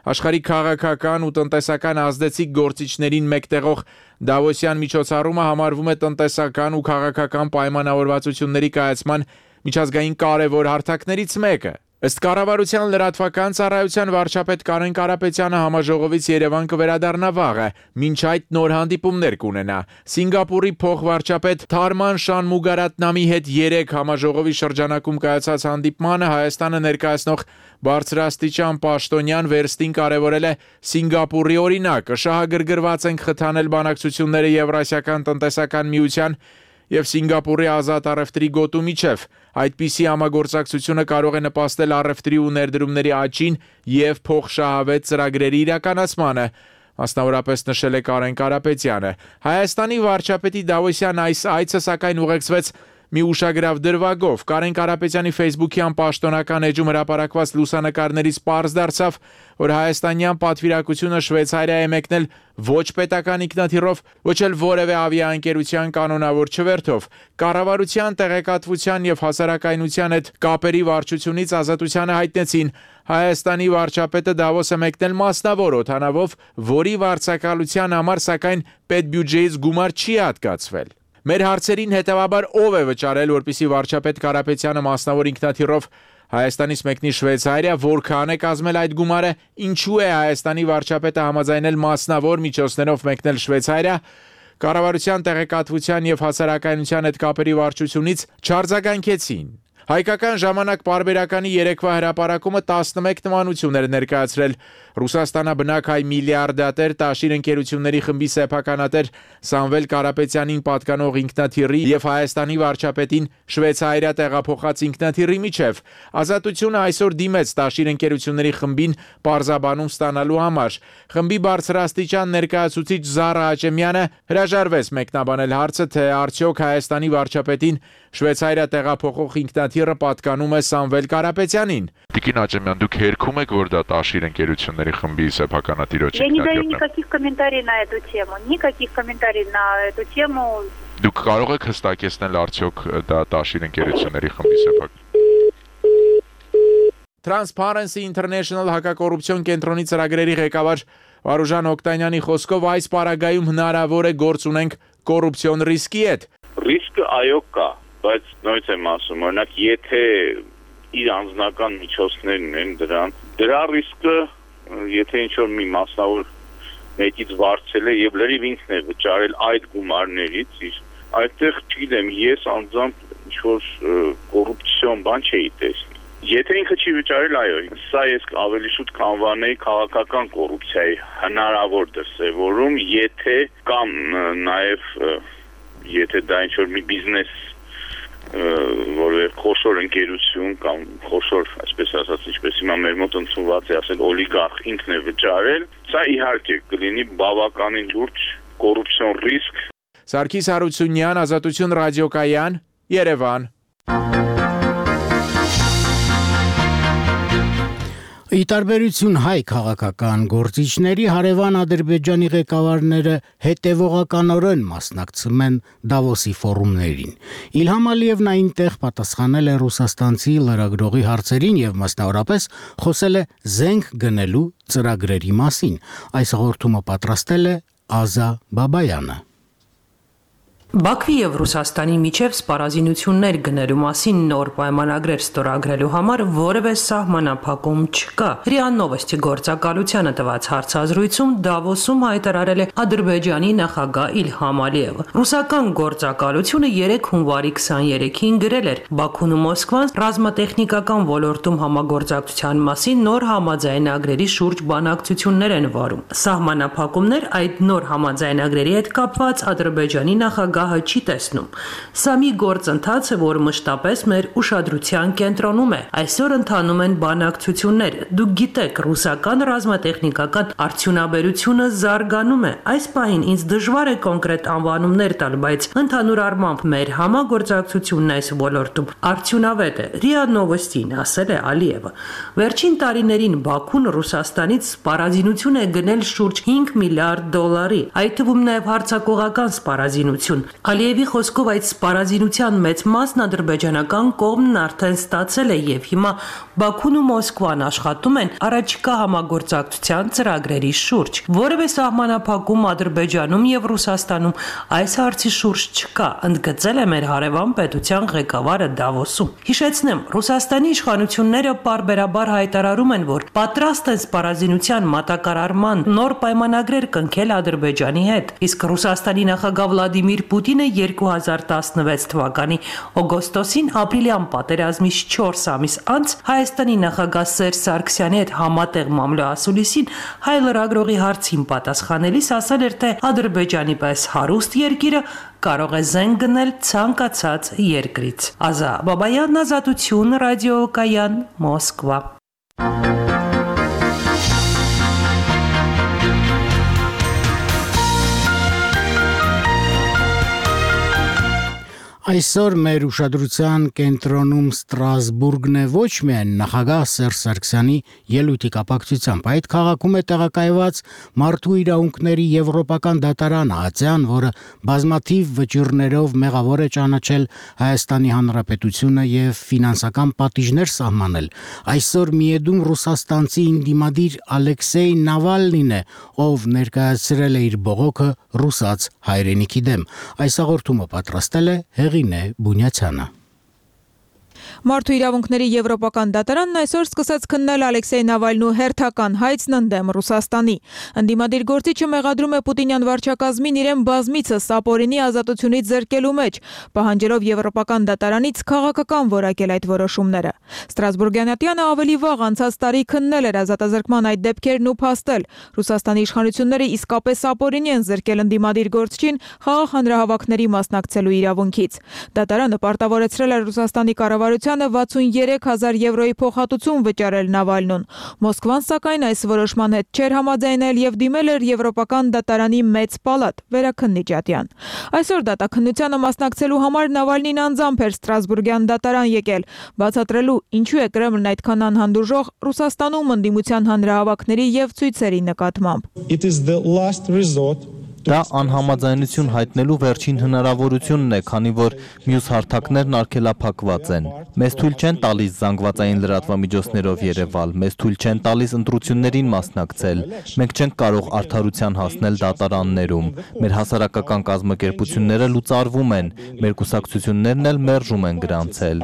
աշխարհի քաղաքական ու տնտեսական ազդեցիկ գործիչներին մեկտեղող Դավոսյան միջոցառումը համարվում է տնտեսական ու քաղաքական պայմանավորվածությունների կայացման միջազգային կարևոր հարթակներից մեկը։ Ըստ կառավարության լրատվական ծառայության վարչապետ Կարեն Կարապետյանը համաժողովից Երևան կվերադառնա վաղը, մինչ այդ նոր հանդիպումներ կունենա։ Սինգապուրի փոխվարչապետ Թարման Շանմուգարատնամի հետ 3 համաժողովի շրջանակում կայացած հանդիպմանը Հայաստանը ներկայացնող բարձրաստիճան պաշտոնյան վերստին կարևորել է Սինգապուրի օրինակը։ Շահագրգռված են խթանել բանակցությունները Եվրասիական տնտեսական միության եւ Սինգապուրի ազատ առևտրի գոտու միջև։ Այդպիսի համագործակցությունը կարող է նպաստել առևտրի ու ներդրումների աճին եւ փոխշահավետ ծրագրերի իրականացմանը, մասնավորապես նշել է Կարեն Կարապետյանը։ Հայաստանի վարչապետի Դավոսյան այս այցը սակայն ուղեկցվեց մի ուշագրավ դրվագով։ Կարեն Կարապետյանի Facebook-յան պաշտոնական էջում հրապարակված լուսանկարներից պարզ դարձավ, որ հայաստանյան պատվիրակությունը Շվեյցարիա է մեկնել ոչ պետական ինքնաթիռով, ոչ էլ որևէ ավիաընկերության կանոնավոր չվերթով։ Կառավարության տեղեկատվության եւ հասարակայնության հետ կապերի վարչությունից Ազատությանը հայտնեցին, Հայաստանի վարչապետը Դավոս է մեկնել մասնավոր օդանավով, որի վարձակալության համար սակայն պետբյուջեից գումար չի հատկացվել։ Մեր հարցերին հետևաբար ով է վճարել, որպեսզի վարչապետ Կարապետյանը մասնավոր ինքնաթիռով Հայաստանից մեկնի Շվեյցարիա, որքան է կազմել այդ գումարը, ինչու է Հայաստանի վարչապետը համաձայնել մասնավոր միջոցներով մեկնել Շվեյցարիա, կառավարության տեղեկատվության եւ հասարակայնության հետ կապերի վարչությունից չարձագանքեցին։ Հայկական ժամանակ պարբերականի երեկվա հրապարակումը 11 նմանություն էր ներկայացրել։ Ռուսաստանաբնակ հայ միլիարդատեր Տաշիր ընկերությունների խմբի սեփականատեր Սամվել Կարապետյանին պատկանող ինքնաթիռի եւ Հայաստանի վարչապետին Շվեյցարիա տեղափոխած ինքնաթիռի միջև Ազատությունը այսօր դիմեց Տաշիր ընկերությունների խմբին պարզաբանում ստանալու համար։ Խմբի բարձրաստիճան ներկայացուցիչ Զարա Աճեմյանը հրաժարվեց մեկնաբանել հարցը, թե արդյոք Հայաստանի վարչապետին Շվեյցարիա տեղափոխող ինքնաթիռը պատկանում է Սամվել Կարապետյանին։ Տիկին Աճեմյան, դուք երգում եք, որ դա Տաշիր ընկերությունների խմբի սեփականատիրոջ ինքնաթիռն է։ Я не даю никаких комментариев на эту тему. Никаких комментариев на эту тему. Դուք կարող եք հստակեցնել արդյոք դա Տաշիր ընկերությունների խմբի սեփական։ Transparency International հակակոռուպցիոն կենտրոնի ծրագրերի ղեկավար Վարուժան Օկտանյանի խոսքով այս պարագայում հնարավոր է գործ ունենք կոռուպցիոն ռիսկի հետ։ Ռիսկը այո կա, բայց նույնիսկ եմ ասում, օրինակ եթե իր անձնական միջոցներն են դրա ռիսկը, եթե ինչ-որ մի մասնավոր մեկից վարձել է եւ լրիվ ինքն է վճարել այդ գումարներից, այդտեղ չգիտեմ, ես անձամբ ինչ-որ կոռուպցիոն բան չէի տեսնի։ Եթե ինքը չի վճարել, այո, սա ես ավելի շուտ կանվանեի քաղաքական կոռուպցիայի հնարավոր դրսևորում, եթե կամ նաեւ եթե դա ինչ-որ մի բիզնես որը խոշոր ընկերություն կամ խոշոր, այսպես ասած, ինչպես հիմա մեր մոտ ընդունված է ասել, օլիգարխ ինքն է վճարել, սա իհարկե կլինի բավականին լուրջ կոռուպցիոն ռիսկ։ Սարգիս Հարությունյան, Ազատություն ռադիոկայան, Երևան։ Ի տարբերություն հայ քաղաքական գործիչների, հարևան Ադրբեջանի ղեկավարները հետևողականորեն մասնակցում են Դավոսի ֆորումներին։ Իլհամ Ալիևն այնտեղ պատասխանել է ռուսաստանցի լրագրողի հարցերին եւ մասնավորապես խոսել է զենք գնելու ծրագրերի մասին։ Այս հաղորդումը պատրաստել է Ազա Բաբայանը։ Բաքվի եւ Ռուսաստանի միջև սպառազինություններ գնելու մասին նոր պայմանագրեր ստորագրելու համար որևէ սահմանափակում չկա։ ՌԻԱ Նովոստի գործակալությանը տված հարցազրույցում Դավոսում հայտարարել է Ադրբեջանի նախագահ Իլհամ Ալիևը։ Ռուսական գործակալությունը 3 հունվարի 23-ին գրել էր Բաքուն ու Մոսկվան ռազմատեխնիկական ոլորտում համագործակցության մասին նոր համաձայնագրերի շուրջ բանակցություններ են վարում։ Սահմանափակումներ այդ նոր համաձայնագրերի հետ կապված Ադրբեջանի նախագահ չի տեսնում։ Սա մի գործընթաց է, որ մշտապես մեր ուշադրության կենտրոնում է։ Այսօր ընթանում են բանակցություններ։ Դուք գիտեք, ռուսական ռազմատեխնիկական արդյունաբերությունը զարգանում է։ Այս պահին ինձ դժվար է կոնկրետ անվանումներ տալ, բայց ընդհանուր առմամբ մեր համագործակցությունն այս ոլորտում արդյունավետ է։ ՌԻԱ Նովոստին ասել է Ալիևը։ Վերջին տարիներին Բաքուն Ռուսաստանից սպառազինություն է գնել շուրջ 5 միլիարդ դոլարի, այդ թվում նաև հարձակողական սպառազինություն։ Ալիևի խոսքով այդ սպառազինության մեծ մասն ադրբեջանական կողմն արդեն ստացել է եւ հիմա Բաքուն ու Մոսկվան աշխատում են առաջիկա համագործակցության ծրագրերի շուրջ։ Որևէ սահմանափակում Ադրբեջանում եւ Ռուսաստանում այս հարցի շուրջ չկա, ընդգծել է մեր հարևան պետության ղեկավարը Դավոսում։ Հիշեցնեմ, Ռուսաստանի իշխանությունները պարբերաբար հայտարարում են, որ պատրաստ են սպառազինության մատակարարման նոր պայմանագրեր կնքել Ադրբեջանի հետ, իսկ Ռուսաստանի նախագահ Վլադիմիր Պուտինը 2016 թվականի օգոստոսին ապրիլյան պատերազմից 4 ամիս անց Հայաստանի նախագահ Սերժ Սարգսյանի հետ համատեղ մամլոասուլիսին հայ լրագրողի հարցին պատասխանելիս ասել էր, թե Ադրբեջանի պես հարուստ երկիրը կարող է զենք գնել ցանկացած երկրից։ Ազա Բաբայան, Ազատություն ռադիոկայան, Մոսկվա։ Այսօր մեր ուշադրության կենտրոնում Ստրասբուրգն է ոչ միայն նախագահ Սերժ Սարգսյանի ելույթի կապակցությամբ, այդ քաղաքում է տեղակայված Մարդու իրավունքների Եվրոպական դատարանը ԱԾԱ-ն, որը բազմաթիվ վճիռներով մեղավոր է ճանաչել Հայաստանի Հանրապետությունը եւ ֆինանսական պատիժներ սահմանել։ Այսօր Միեդում ռուսաստանցի ինդիմադիր Ալեքսեյ Նավալնին է, ով ներկայացրել է իր բողոքը ռուսաց հայրենիքի դեմ։ Այս հաղորդումը պատրաստել է Հեղինե Բունյացյանը։ Մարդու իրավունքների եվրոպական դատարանն այսօր սկսեց քննել Ալեքսեյ Նավալնու հերթական հայցն ընդդեմ Ռուսաստանի։ Ընդդիմադիր գործիչը մեղադրում է Պուտինյան վարչակազմին իրեն բազմիցս ապօրինի ազատությունից զրկելու մեջ, պահանջելով եվրոպական դատարանից քաղաքական որակել այդ որոշումները։ Ստրասբուրգյան ատյանը ավելի վաղ անցած տարի քննել էր ազատազրկման այդ դեպքերն ու փաստել։ Ռուսաստանի իշխանությունները իսկապես ապօրինի են զրկել ընդդիմադիր գործչին խաղաղ հանրահավաքների մասնակցելու իրավունքից։ Դատարանը պարտավորեցրել է Ռուսաստանի կառավարությանը 63,000 եվրոյի փոխհատուցում վճարել Նավալնուն։ Մոսկվան սակայն այս որոշման հետ չէր համաձայնել եւ դիմել էր Եվրոպական դատարանի մեծ պալատ վերաքննիչ ատյան։ Այսօր դատաքննությանը մասնակցելու համար Նավալնին անձամբ էր Ստրասբուրգյան դատարան եկել, բացատրելու ինչու է Կրեմլն այդքան անհանդուրժող Ռուսաստանում ընդդիմության հանրահավաքների եւ ցույցերի նկատմամբ։ Դա անհամաձայնություն հայտնելու վերջին հնարավորությունն է, քանի որ մյուս հարթակներն արգելափակված են։ Մեզ թույլ չեն տալիս զանգվածային լրատվամիջոցներով երևալ, մեզ թույլ չեն տալիս ընտրություններին մասնակցել։ Մենք չենք կարող արդարության հասնել դատարաններում։ Մեր հասարակական կազմակերպությունները լուծարվում են, մեր կուսակցություններն էլ մերժում են գրանցել։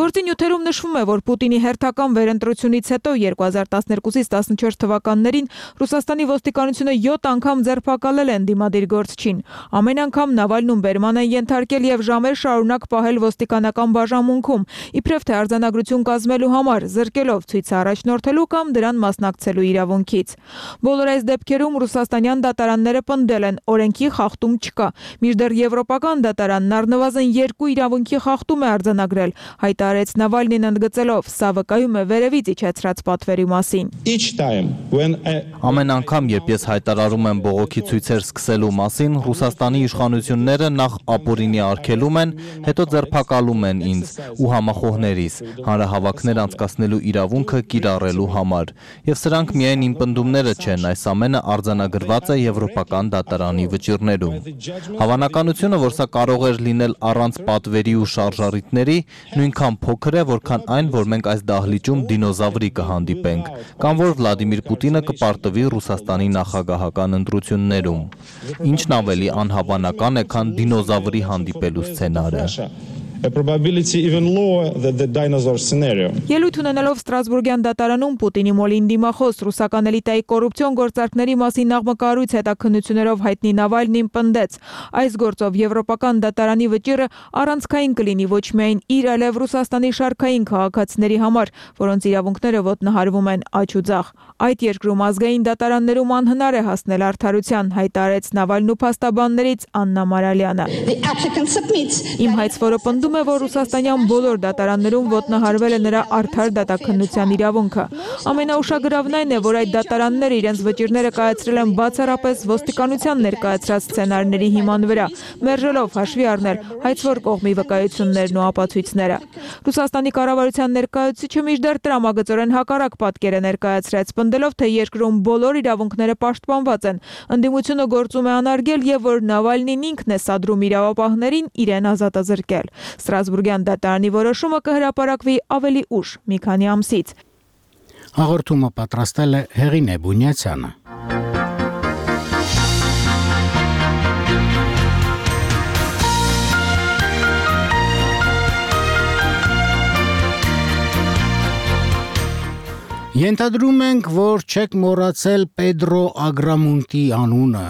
Գործի նյութերում նշվում է, որ Պուտինի հերթական վերընտրությունից հետո 2012-ից 14 թվականներին Ռուսաստանի ոստիկանությունը 7 անգամ ձերբակալել են դիմադիր գործչին։ Ամեն անգամ Նավալնուն բերման են ենթարկել եւ ժամեր շարունակ պահել ոստիկանական բաժանմունքում, իբրև թե արձանագրություն կազմելու համար, զրկելով ցույցը առաջնորդելու կամ դրան մասնակցելու իրավունքից։ Բոլոր այս դեպքերում ռուսաստանյան դատարանները պնդել են օրենքի խախտում չկա, մինչդեռ եվրոպական դատարանն առնվազն 2 իրավունքի խախտում է արձանագրել, հայտարարեց Նավալնին ընդգծելով, սա վկայում է վերևից իջեցրած պատվերի մասին։ Ամեն անգամ, երբ ես հայտարարում եմ բողոքի ցույցեր սկսելու մասին, Ռուսաստանի իշխանությունները նախ ապօրինի արգելում են, հետո ձերբակալում են ինձ ու համախոհներիս հանրահավաքներ անցկացնելու իրավունքը կիրառելու համար։ Եվ սրանք միայն իմ պնդումները չեն, այս ամենը արձանագրված է Եվրոպական դատարանի վճիռներում։ Հավանականությունը, որ սա կարող էր լինել առանց պատվերի ու շարժառիթների, նույնքան փոքր է, որքան այն, որ մենք այս դահլիճում դինոզավրի կհանդիպենք, կամ որ Վլադիմիր Պուտինը կպարտվի Ռուսաստանի նախագահական ընտրություններում։ Ինչն ավելի անհավանական է, քան դինոզավրի հանդիպելու սցենարը։ Ելույթ ունենալով Ստրասբուրգյան դատարանում Պուտինի մոլին դիմախոս ռուսական էլիտայի կոռուպցիոն գործարքների մասին աղմկահարույց հետաքննություններով հայտնի Նավալնին պնդեց. այս գործով Եվրոպական դատարանի վճիռը առանցքային կլինի ոչ միայն իր, այլև Ռուսաստանի շարքային քաղաքացիների համար, որոնց իրավունքները ոտնահարվում են աջ ու ձախ։ Այդ երկրում ազգային դատարաններում անհնար է հասնել արդարության, հայտարարեց Նավալնու փաստաբաններից Աննա Մարալյանը։ Իմ հայցվորը պնդում է, որ ռուսաստանյան բոլոր դատարաններում ոտնահարվել է նրա արդար դատաքննության իրավունքը։ Ամենաուշագրավն այն է, որ այդ դատարանները իրենց վճիռները կայացրել են բացառապես ոստիկանության ներկայացրած սցենարների հիման վրա, մերժելով հաշվի առնել հայցվոր կողմի վկայություններն ու ապացույցները։ Ռուսաստանի կառավարության ներկայացուցիչը մինչդեռ տրամագծորեն հակառակ պատկեր է ներկայացրած, պնդելով, թե երկրում բոլոր իրավունքները պաշտպանված են, ընդդիմությունը գործում է անարգել եւ որ Նավալնին ինքն է սադրում իրավապահներին իրեն ազատազրկել։ Ստրասբուրգյան դատարանի որոշումը կհրապարակվի ավելի ուշ, մի քանի ամսից։ Հաղորդումը պատրաստել է Հեղինե Բունյացյանը։ Ենթադրում ենք, որ չեք մոռացել Պեդրո Ագրամունտի անունը։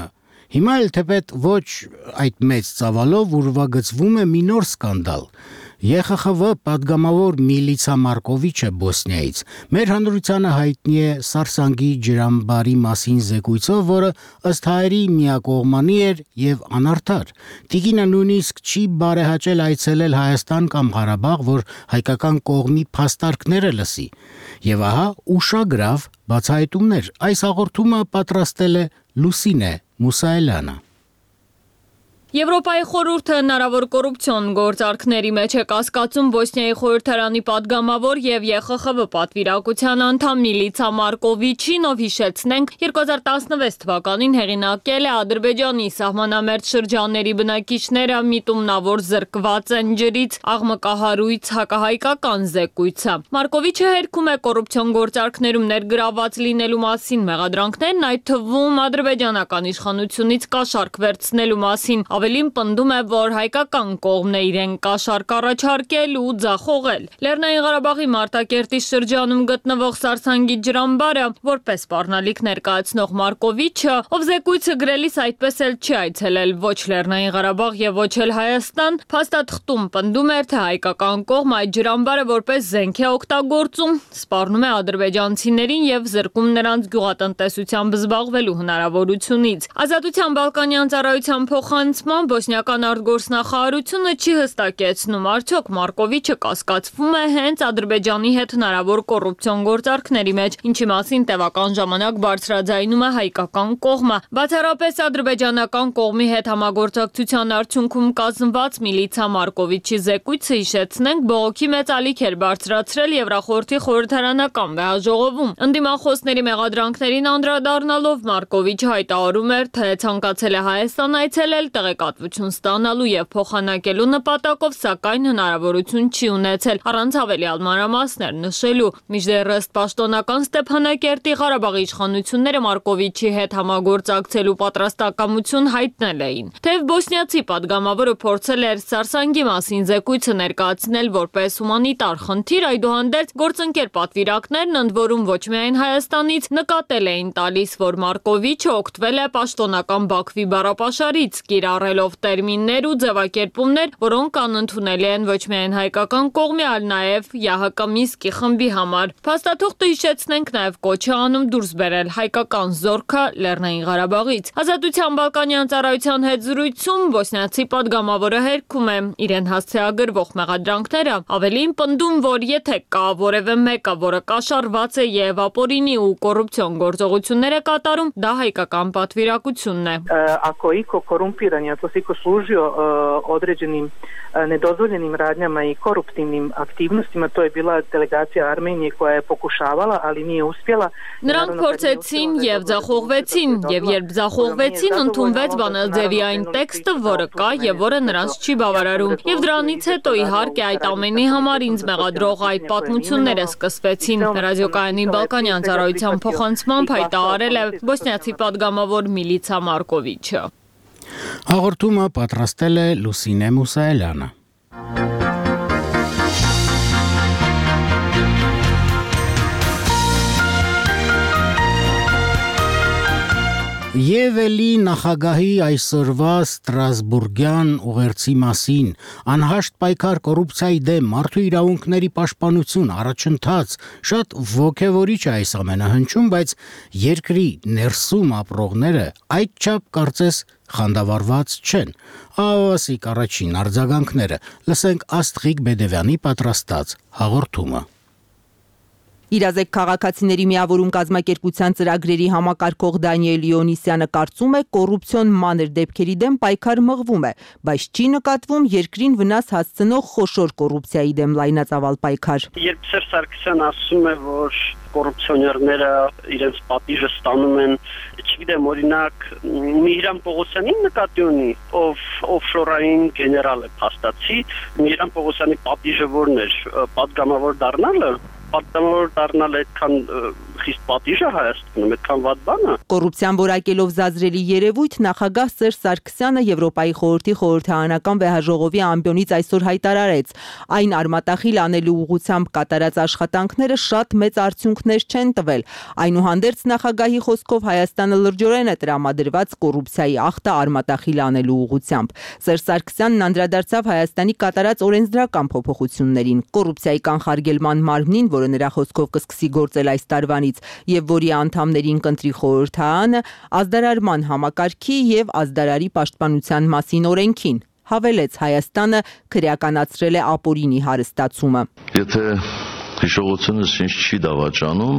Հիմա էլ թեպետ ոչ այդ մեծ ծավալով ուրվագծվում է մի նոր սկանդալ։ ԵԽԽՎ պատգամավոր Միլիցա Մարկովիչը Բոսնիայից մեր հանրությանը հայտնի է Սարսանգի ջրամբարի մասին զեկույցով, որը ըստ հայերի միակողմանի էր եւ անարդար։ Տիկինը նույնիսկ չի բարեհաճել այցելել Հայաստան կամ Ղարաբաղ, որ հայկական կողմի փաստարկները լսի։ Եվ ահա ուշագրավ բացահայտումներ։ Այս հաղորդումը պատրաստել է Լուսինե Մուսայելյանը։ Եվրոպայի խորհուրդը հնարավոր կոռուպցիոն գործարքների մեջ է կասկածում Բոսնիայի խորհրդարանի падգամավոր եւ ԵԽԽՎ պատվիրակության անդամ Միլիցա Մարկովիչին, ով հիշեցնենք 2016 թվականին հեղինակել է Ադրբեջանի սահմանամերձ շրջանների բնակիչները միտումնավոր զրկված են ջրից աղմկահարույց հակահայկական զեկույցը։ Մարկովիչը հերքում է կոռուպցիոն գործարքներում ներգրաված լինելու մասին մեղադրանքներն, այդ թվում ադրբեջանական իշխանությունից կաշառք վերցնելու մասին Ավելին պնդում է, որ հայկական կողմն է իրեն կաշառք առաջարկել ու ձախողել։ Լեռնային Ղարաբաղի Մարտակերտի շրջանում գտնվող Սարսանգի ջրամբարը, որպես սպառնալիք ներկայացնող Մարկովիչը, ով զեկույցը գրելիս այդպես էլ չի այցելել ոչ Լեռնային Ղարաբաղ եւ ոչ էլ Հայաստան, փաստաթղթում պնդում էր, թե հայկական կողմը այդ ջրամբարը որպես զենք է օգտագործում, սպառնում է ադրբեջանցիներին եւ զրկում նրանց գյուղատնտեսությամբ զբաղվելու հնարավորությունից։ Ազատության բալկանյան ծառայության փոխանցման բոսնիական արտգործնախարարությունը չի հստակեցնում, արդյոք Մարկովիչը կասկածվում է հենց Ադրբեջանի հետ հնարավոր կոռուպցիոն գործարքների մեջ, ինչի մասին տևական ժամանակ բարձրաձայնում է հայկական կողմը։ Բացառապես ադրբեջանական կողմի հետ համագործակցության արդյունքում կազմված միլիցա Մարկովիչի զեկույցը, հիշեցնենք, բողոքի մեծ ալիք էր բարձրացրել Եվրախորհրդի խորհրդարանական վեհաժողովում։ Ընդդիմախոսների մեղադրանքներին անդրադառնալով Մարկովիչը հայտարարում էր, թե ցանկացել է Հայաստան այցելել տեղեկատվություն ստանալու եւ փոխանակելու նպատակով, սակայն հնարավորություն չի ունեցել, առանց հավելյալ մանրամասներ նշելու։ Մինչդեռ ըստ պաշտոնական Ստեփանակերտի Ղարաբաղի իշխանությունները Մարկովիչի հետ համագործակցելու պատրաստակամություն հայտնել էին։ Թեև բոսնիացի падգամավորը փորձել էր Սարսանգի մասին զեկույցը ներկայացնել որպես հումանիտար խնդիր, այդուհանդերձ գործընկեր պատվիրակներն, ընդ որում ոչ միայն Հայաստանից, նկատել էին տալիս, որ Մարկովիչը օգտվել է պաշտոնական Բաքվի բառապաշարից, կիրառելով տերմիններ ու ձևակերպումներ, որոնք անընդունելի են ոչ միայն հայկական կողմի, այլ նաև ՀՀԿ Մինսկի խմբի համար։ Փաստաթուղթը, հիշեցնենք, նաև կոչ է անում դուրս բերել հայկական զորքը Լեռնային Ղարաբաղից։ Ազատության բալկանյան ծառայության հետ զրույցում բոսնիացի падգամավորը հերքում է իրեն հասցեագրվող մեղադրանքները, ավելին պնդում, որ եթե կա որևէ մեկը, որը կաշառված է եւ ապօրինի ու կոռուպցիոն գործողություններ է կատարում, դա հայկական պատվիրակությունն է։ Ako iko korumpiran, ako se iko služio određenim nedozvoljenim radnjama I koruptivnim aktivnostima, to je bila delegacija Armenije koja je pokušavala, ali nije uspjela. Նրանք փորձեցին եւ ձախողվեցին, եւ երբ ձախողվեցին, ընդունվեց բանաձևի այն տեքստը, որը կա եւ որը նրանց չի բավարարում։ Եվ դրանից հետո իհարկե այդ ամենի համար ինձ մեղադրող այդ պատմությունները սկսվեցին։ Ռադիոկայանի բալկանյան ծառայության փոխանցմամբ հայտարարել է բոսնիացի падգամավոր միլիցա Մարկովիչը։ Հաղորդումը պատրաստել է Լուսինե Մուսայելյանը։ Եվ էլի նախագահի այսօրվա Ստրասբուրգյան ուղերձի մասին անհաշտ պայքար կոռուպցիայի դեմ մարդու իրավունքների պաշտպանություն առաջընթաց շատ ոգևորիչ է այս ամենը հնչում, բայց երկրի ներսում ապրողները այդչափ կարծես խանդավառված չեն։ Ավասիկ առաջին արձագանքները լսենք Աստղիկ Բեդևյանի պատրաստած հաղորդումը։ Իրազեկ քաղաքացիների միավորում կազմակերպության ծրագրերի համակարգող Դանիել Իոնիսյանը կարծում է կոռուպցիոն մանր դեպքերի դեմ պայքար մղվում է, բայց չի նկատվում երկրին վնաս հասցնող խոշոր կոռուպցիայի դեմ լայնածավալ պայքար։ Երբ Սերժ Սարգսյանը ասում է, որ կոռուպցիոներները իրենց պատիժը ստանում են, չգիտեմ, օրինակ Միհրան Պողոսյանին նկատի ունի, ով օֆշորային գեներալ է փաստացի, Միհրան Պողոսյանի պատիժը որն էր, պատգամավոր դառնալը, պատգամավոր դառնալ այդքան խիստ պատիժ է Հայաստանում, այդքան վատ բան է։ Կոռուպցիան որակելով զազրելի երևույթ նախագահ Սերժ Սարգսյանը Եվրոպայի խորհրդի խորհրդարանական վեհաժողովի ամբիոնից այսօր հայտարարեց, այն արմատախիլ անելու ուղղությամբ կատարած աշխատանքները շատ մեծ արդյունքներ չեն տվել։ Այնուհանդերձ նախագահի խոսքով Հայաստանը լրջորեն է տրամադրված կոռուպցիայի ախտը արմատախիլ անելու ուղղությամբ։ Սերժ Սարգսյանն անդրադարձավ Հայաստանի կատարած օրենսդրական փոփոխություններին, կոռուպցիայի կանխարգելման մարմնին, որը նրա խոսքով կսկսի գործել այս տարվանից եւ որի անդամներին կընտրի խորհրդարանը, ազդարարման համակարգի եւ ազդարարի պաշտպանության մասին օրենքին։ Հավելեց Հայաստանը քրեականացրել է ապօրինի հարստացումը։ Եթե հիշողությունս ինձ չի դավաճանում,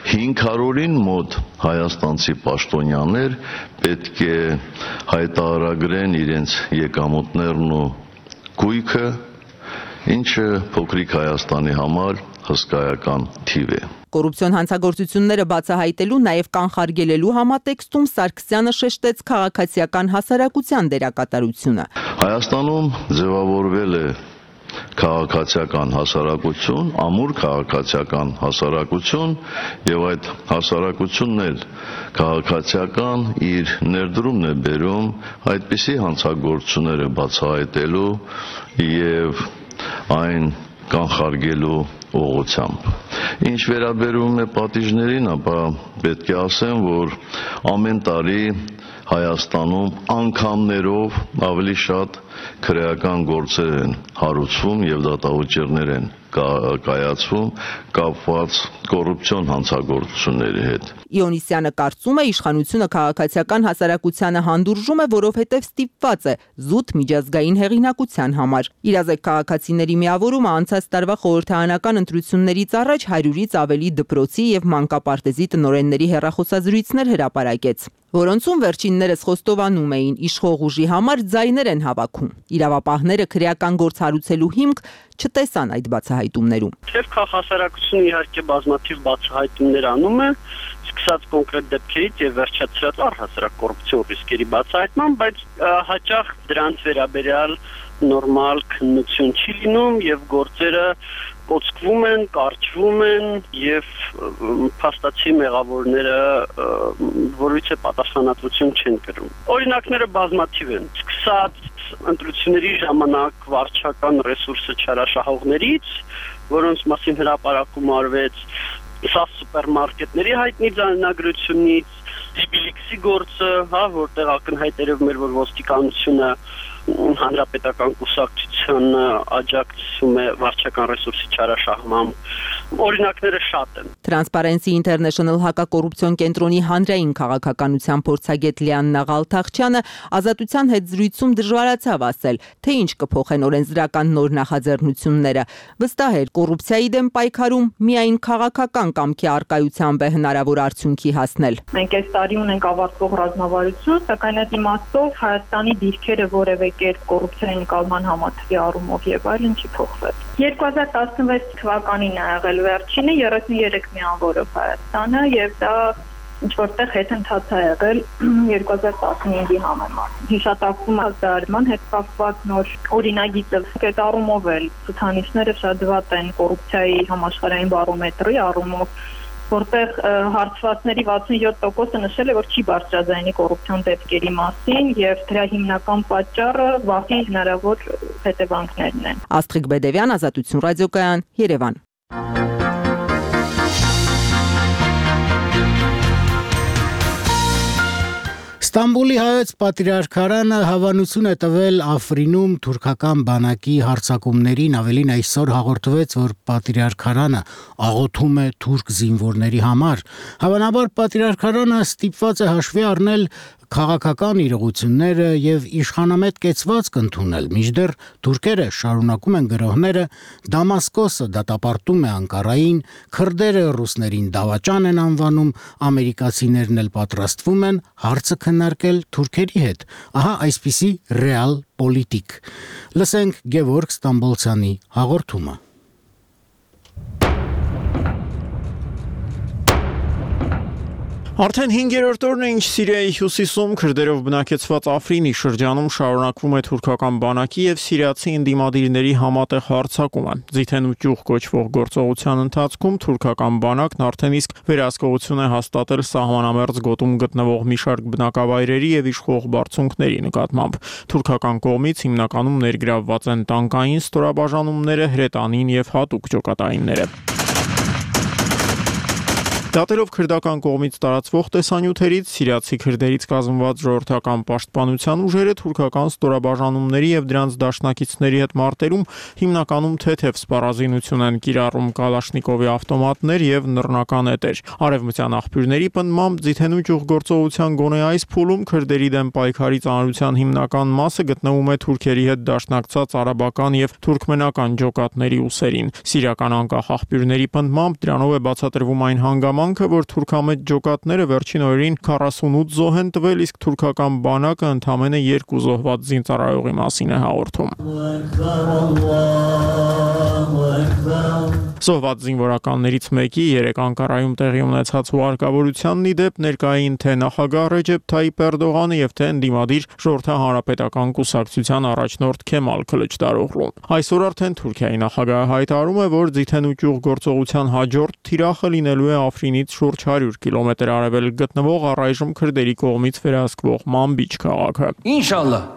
500-ին մոտ հայաստանցի պաշտոնյաներ պետք է հայտարարագրեն իրենց եկամուտներն ու գույքը, ինչը փոքրիկ Հայաստանի համար հսկայական թիվ է։ Կոռուպցիոն հանցագործությունները բացահայտելու, նաև կանխարգելելու համատեքստում Սարգսյանը շեշտեց քաղաքացիական հասարակության դերակատարությունը։ Հայաստանում ձևավորվել է քաղաքացիական հասարակություն, ամուր քաղաքացիական հասարակություն եւ այդ հասարակությունն էլ քաղաքացիական իր ներդրումն է բերում այդպիսի հանցագործությունները բացահայտելու եւ այն կանխարգելու ուղղությամբ։ Ինչ վերաբերում է պատիժներին, ապա պետք է ասեմ, որ ամեն տարի Հայաստանում անգամներով ավելի շատ քրեական գործեր են հարուցվում եւ դատավճիռներ են կայացվում կապված կոռուպցիոն հանցագործությունների հետ։ Իոնիսյանը կարծում է իշխանությունը քաղաքացիական հասարակությանը հանդուրժում է, որովհետև ստիպված է զուտ միջազգային հեղինակության համար։ Իրազեկ քաղաքացիների միավորումը անցած տարվա խորհրդարանական ընտրություններից առաջ 100-ից ավելի դպրոցի եւ մանկապարտեզի տնօրենների հեռախոսազրույցներ հրապարակեց, որոնցում վերջիններս խոստովանում էին իշխող ուժի համար ձայներ են հավաքում։ Իրավապահները քրեական գործ հարուցելու հիմք չտեսան այդ բացահայտումներում։ Թեև քաղաքասարակությունը իհարկե բազմաթիվ բացահայտումներ անում է, սկսած կոնկրետ դեպքերից եւ վերջացրած առհասարակ կոռուպցիոն ռիսկերի բացահայտման, բայց հաճախ դրանց վերաբերյալ նորմալ քննություն չի լինում եւ գործերը կոծկվում են, կարճվում են եւ փաստացի մեղավորները որից է պատասխանատվություն չեն կրում։ Օրինակները բազմաթիվ են, սկսած ընտրությունների ժամանակ վարչական ռեսուրսը չարաշահողներից, որոնց մասին հրապարակում արվեց, սա սուպերմարկետների հայտնի ձայնագրությունից, Տիբիլիքսի գործը, որտեղ ակնհայտերով մեր որ ոստիկանությունը հանրապետական կուսակցությանը աջակցում է վարչական ռեսուրսի չարաշահմամբ։ Օրինակները շատ են։ Transparency International հակակոռուպցիոն կենտրոնի հանրային քաղաքականության փորձագետ Լիաննա Ղալթախչյանը ազատության հետ զրույցում դժվարացավ ասել, թե ինչ կփոխեն օրենսդրական նոր նախաձեռնությունները։ Վստահ էր, կոռուպցիայի դեմ պայքարում միայն քաղաքական կամքի առկայությամբ է հնարավոր արդյունքի հասնել։ Մենք այս տարի ունենք ավարտվող ռազմավարություն, սակայն այդ իմաստով Հայաստանի դիրքերը որևէ կերպ կոռուպցիայի նկատմամբ համատեղի առումով եւ այլն չի փոխվել։ 2016 թվականին ա եղել վերջինը 33 միավորով Հայաստանը եւ դա ինչ որտեղ հետընթաց ա եղել 2015-ի համեմատ։ Հիշատակվում է դարման հետ կապված նոր օրինագիծը, այդ առումով էլ ցուցանիշները շատ վատ են կոռուպցիայի համաշխարհային բարոմետրի առումով, որտեղ հարցվածների 67%-ը նշել է, որ չի բարձրաձայնի կոռուպցիոն դեպքերի մասին եւ դրա հիմնական պատճառը վախի հնարավոր հետևանքներն են։ Աստղիկ Բեդևյան, Ազատություն ռադիոկայան, Երևան։ Ստամբուլի հայոց պատրիարքարանը հավանություն է տվել Աֆրինում թուրքական բանակի հարձակումներին, ավելին այսօր հաղորդվեց, որ պատրիարքարանը աղոթում է թուրք զինվորների համար։ Հավանաբար պատրիարքարանը ստիպված է հաշվի առնել քաղաքական իրողությունները եւ իշխանամետ կեցվածք ընդունել, մինչդեռ թուրքերը շարունակում են գրոհները, Դամասկոսը դատապարտում է Անկարային, քրդերը ռուսներին դավաճան են անվանում, ամերիկացիներն էլ պատրաստվում են հարցը քննարկել թուրքերի հետ։ Ահա այսպիսի ռեալ պոլիտիկ։ Լսենք Գևորգ Ստամբոլցյանի հաղորդումը։ Արդեն 5-րդ օրն է, ինչ Սիրիայի հյուսիսում քրդերով բնակեցված Աֆրինի շրջանում շարունակվում է թուրքական բանակի եւ սիրիացի ընդդիմադիրների համատեղ հարձակումը։ Ձիթեն ու ճյուղ կոչվող գործողության ընթացքում թուրքական բանակն արդեն իսկ վերահսկողություն է հաստատել սահմանամերձ գոտում գտնվող մի շարք բնակավայրերի եւ իշխող բարձունքների նկատմամբ։ Թուրքական կողմից հիմնականում ներգրավված են տանկային ստորաբաժանումները, հրետանին եւ հատուկ ջոկատայինները։ Դատելով քրդական կողմից տարածվող տեսանյութերից, սիրիացի քրդերից կազմված ժողովրդական պաշտպանության ուժերը թուրքական ստորաբաժանումների եւ դրանց դաշնակիցների հետ մարտերում հիմնականում թեթև սպառազինություն են կիրառում Կալաշնիկովի ավտոմատներ եւ նռնական էտեր։ Արևմտյան աղբյուրների պնդմամբ Ձիթենու ճյուղ գործողության գոնե այս փուլում քրդերի դեմ պայքարի ծանրության հիմնական մասը գտնվում է թուրքերի հետ դաշնակցած արաբական եւ թուրքմենական ջոկատների ուսերին։ Սիրիական անկախ աղբյուրների պնդմամբ դրանով է բացատրվում այն հանգամանքը, որ թուրքամետ ջոկատները վերջին օրերին 48 զոհ են տվել, իսկ թուրքական բանակը ընդամենը 2 զոհված զինծառայողի մասին է հաղորդում։ Զոհված զինվորականներից մեկի 3 Անկարայում տեղի ունեցած հուարկավորությանն ի դեպ ներկային թե նախագահ Ռեջեփ Թայիփ Էրդողանը եւ թե ընդդիմադիր Ժողովրդահարապետական կուսակցության առաջնորդ Քեմալ Քլիչդարօղլուն։ Այսօր արդեն Թուրքիայի նախագահը հայտարարում է, որ ձիթեն ու ճյուղ գործողության հաջորդ թիրախը լինելու է Աֆրինից շուրջ 100 կիլոմետր արևելք գտնվող առայժմ քրդերի կողմից վերահսկվող Մանբիջ քաղաքը։ İnşallah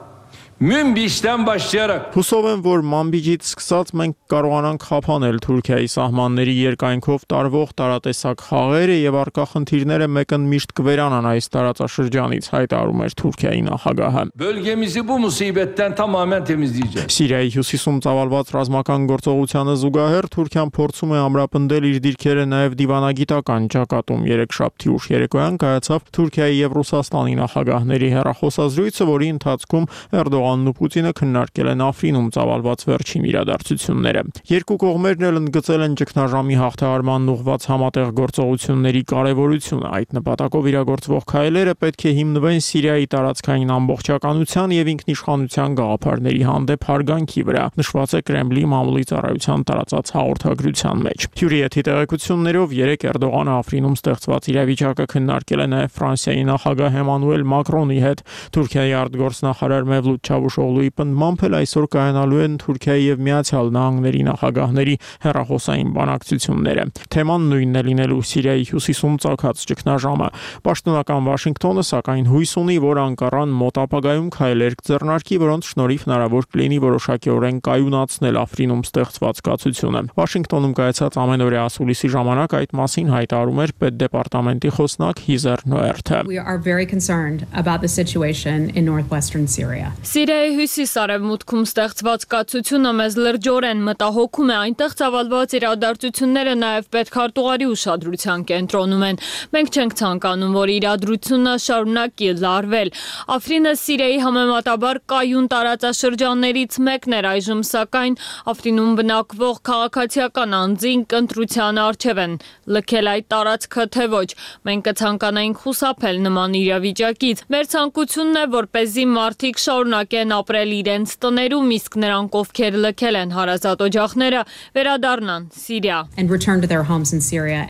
Münbiş'ten başlayarak Հուսով եմ, որ Մանբիջից սկսած մենք կարողանանք խափանել Թուրքիայի սահմանների երկայնքով տարվող տարատեսակ խաղերը եւ առկա խնդիրները մեկընդմիշտ կվերանան այս տարածաշրջանից, հայտարարում էր Թուրքիայի նախագահը։ bölgemizi bu musibetten tamamen temizleyeceğiz. Սիրիայի հյուսիսում ծավալված ռազմական գործողությանը զուգահեռ Թուրքիան փորձում է ամրապնդել իր դիրքերը նաեւ դիվանագիտական ճակատում։ Երեքշաբթի ուշ երեկոյան կայացավ Թուրքիայի եւ Ռուսաստանի նախագահների հեռախոսազրույցը, որի ընթացքում Էրդողանն ու Պուտինը քննարկել են Աֆրինում ծավալված վերջին իրադարձությունները։ Երկու կողմերն էլ ընդգծել են ճգնաժամի հաղթահարման ուղղված համատեղ գործողությունների կարևորությունը։ Այդ նպատակով իրագործվող քայլերը պետք է հիմնվեն Սիրիայի տարածքային ամբողջականության եւ ինքնիշխանության գաղափարների հանդեպ հարգանքի վրա, նշված է Կրեմլի մամուլի ծառայության տարածած հաղորդագրության մեջ։ Հյուրիեթի տեղեկություններով 3 Էրդողանը Աֆրինում ստեղծված իրավիճակը քննարկել է նաեւ Ֆրանսիայի նախագահ Էմանուել Մակրոնի հետ։ Թուրքիայի արտգործնախարար Մևլութ Չավուշօղլուի պնդմամբ էլ այսօր կայանալու են Թուրքիայի եւ Միացյալ Նահանգների նախագահների հեռախոսային բանակցությունները։ Թեման նույնն է լինելու Սիրիայի հյուսիսում ծագած ճգնաժամը։ Պաշտոնական Վաշինգտոնը սակայն հույս ունի, որ Անկարան մոտ ապագայում քայլեր կձեռնարկի, որոնց շնորհիվ հնարավոր կլինի որոշակիորեն կայունացնել Աֆրինում ստեղծված կացությունը։ Վաշինգտոնում կայացած ամենօրյա ասուլիսի ժամանակ այդ մասին հայտարարում էր պետդեպարտամենտի խոսնակ Հիզեր Նոերթը։ We are very concerned about the situation in northwestern Syria. Սիրիայի հյուսիս-արևմուտքում ստեղծված կացությունը մեզ լրջորեն մտահոգում է, այնտեղ ծավալված իրադարձությունները նաև պետքարտուղարի ուշադրության կենտրոնում են։ Մենք չենք ցանկանում, որ իրադրությունը շարունակի լարվել։ Աֆրինը Սիրիայի համեմատաբար կայուն տարածաշրջաններից մեկն էր այժմ, սակայն Աֆրինում բնակվող քաղաքացիական անձինք ընտրության առջև են լքել այդ տարածքը, թե ոչ։ Մենք կցանկանայինք խուսափել նման իրավիճակից։ Մեր ցանկությունն է, որպեսզի մարդիկ շարունակեն ապրել իրենց տներում, իսկ նրանք, ովքեր լքել են հարազատ օջախները, վերադառնան Սիրիա։ And return to their homes in Syria.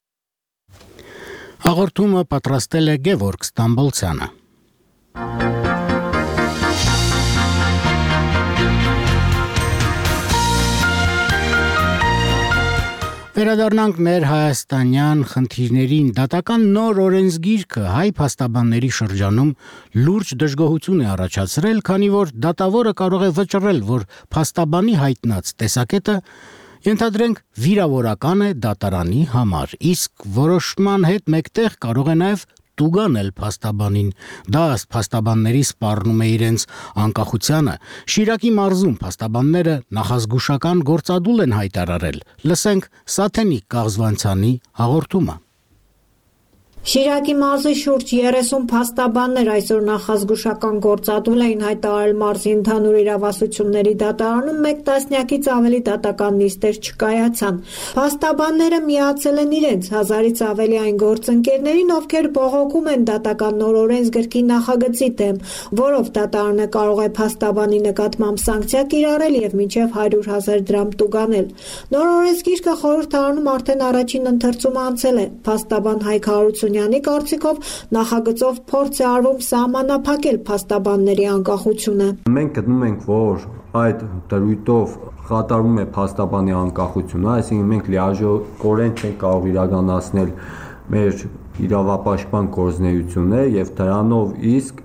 Հաղորդումը պատրաստել է Գևորգ Ստամբոլցյանը։ Վերադառնանք ներհայաստանյան խնդիրներին։ Դատական նոր օրենսգիրքը հայ փաստաբանների շրջանում լուրջ դժգոհություն է առաջացրել, քանի որ դատավորը կարող է վճռել, որ փաստաբանի հայտնած տեսակետը ենթադրենք վիրավորական է դատարանի համար, իսկ որոշման հետ մեկտեղ կարող է նաև տուգանել փաստաբանին։ Դա ըստ փաստաբանների սպառնում է իրենց անկախությանը։ Շիրակի մարզում փաստաբանները նախազգուշական գործադուլ են հայտարարել։ Լսենք Սաթենիկ Կաղզվանցյանի հաղորդումը։ Շիրակի մարզի շուրջ 30 փաստաբաններ այսօր նախազգուշական գործադուլ էին հայտարարել մարզի ընդհանուր իրավասությունների դատարանում, 1 տասնյակից ավելի դատական նիստեր չկայացան։ Փաստաբանները միացել են իրենց 1000-ից ավելի այն գործընկերներին, ովքեր բողոքում են դատական նոր օրենսգրքի նախագծի դեմ, որով դատարանը կարող է փաստաբանի նկատմամբ սանկցիա կիրառել եւ մինչեւ 100,000 դրամ տուգանել։ Նոր օրենսգիրքը խորհրդարանում արդեն առաջին ընթերցումը անցել է։ Փաստաբան Հայկ Հարությունյանի կարծիքով նախագծով փորձ է արվում սահմանափակել փաստաբանների անկախությունը։ Մենք գտնում ենք, որ այդ դրույթով խաթարվում է փաստաբանի անկախությունը, այսինքն մենք լիարժեքորեն չենք կարող իրականացնել մեր իրավապաշտպան գործունեությունը եւ դրանով իսկ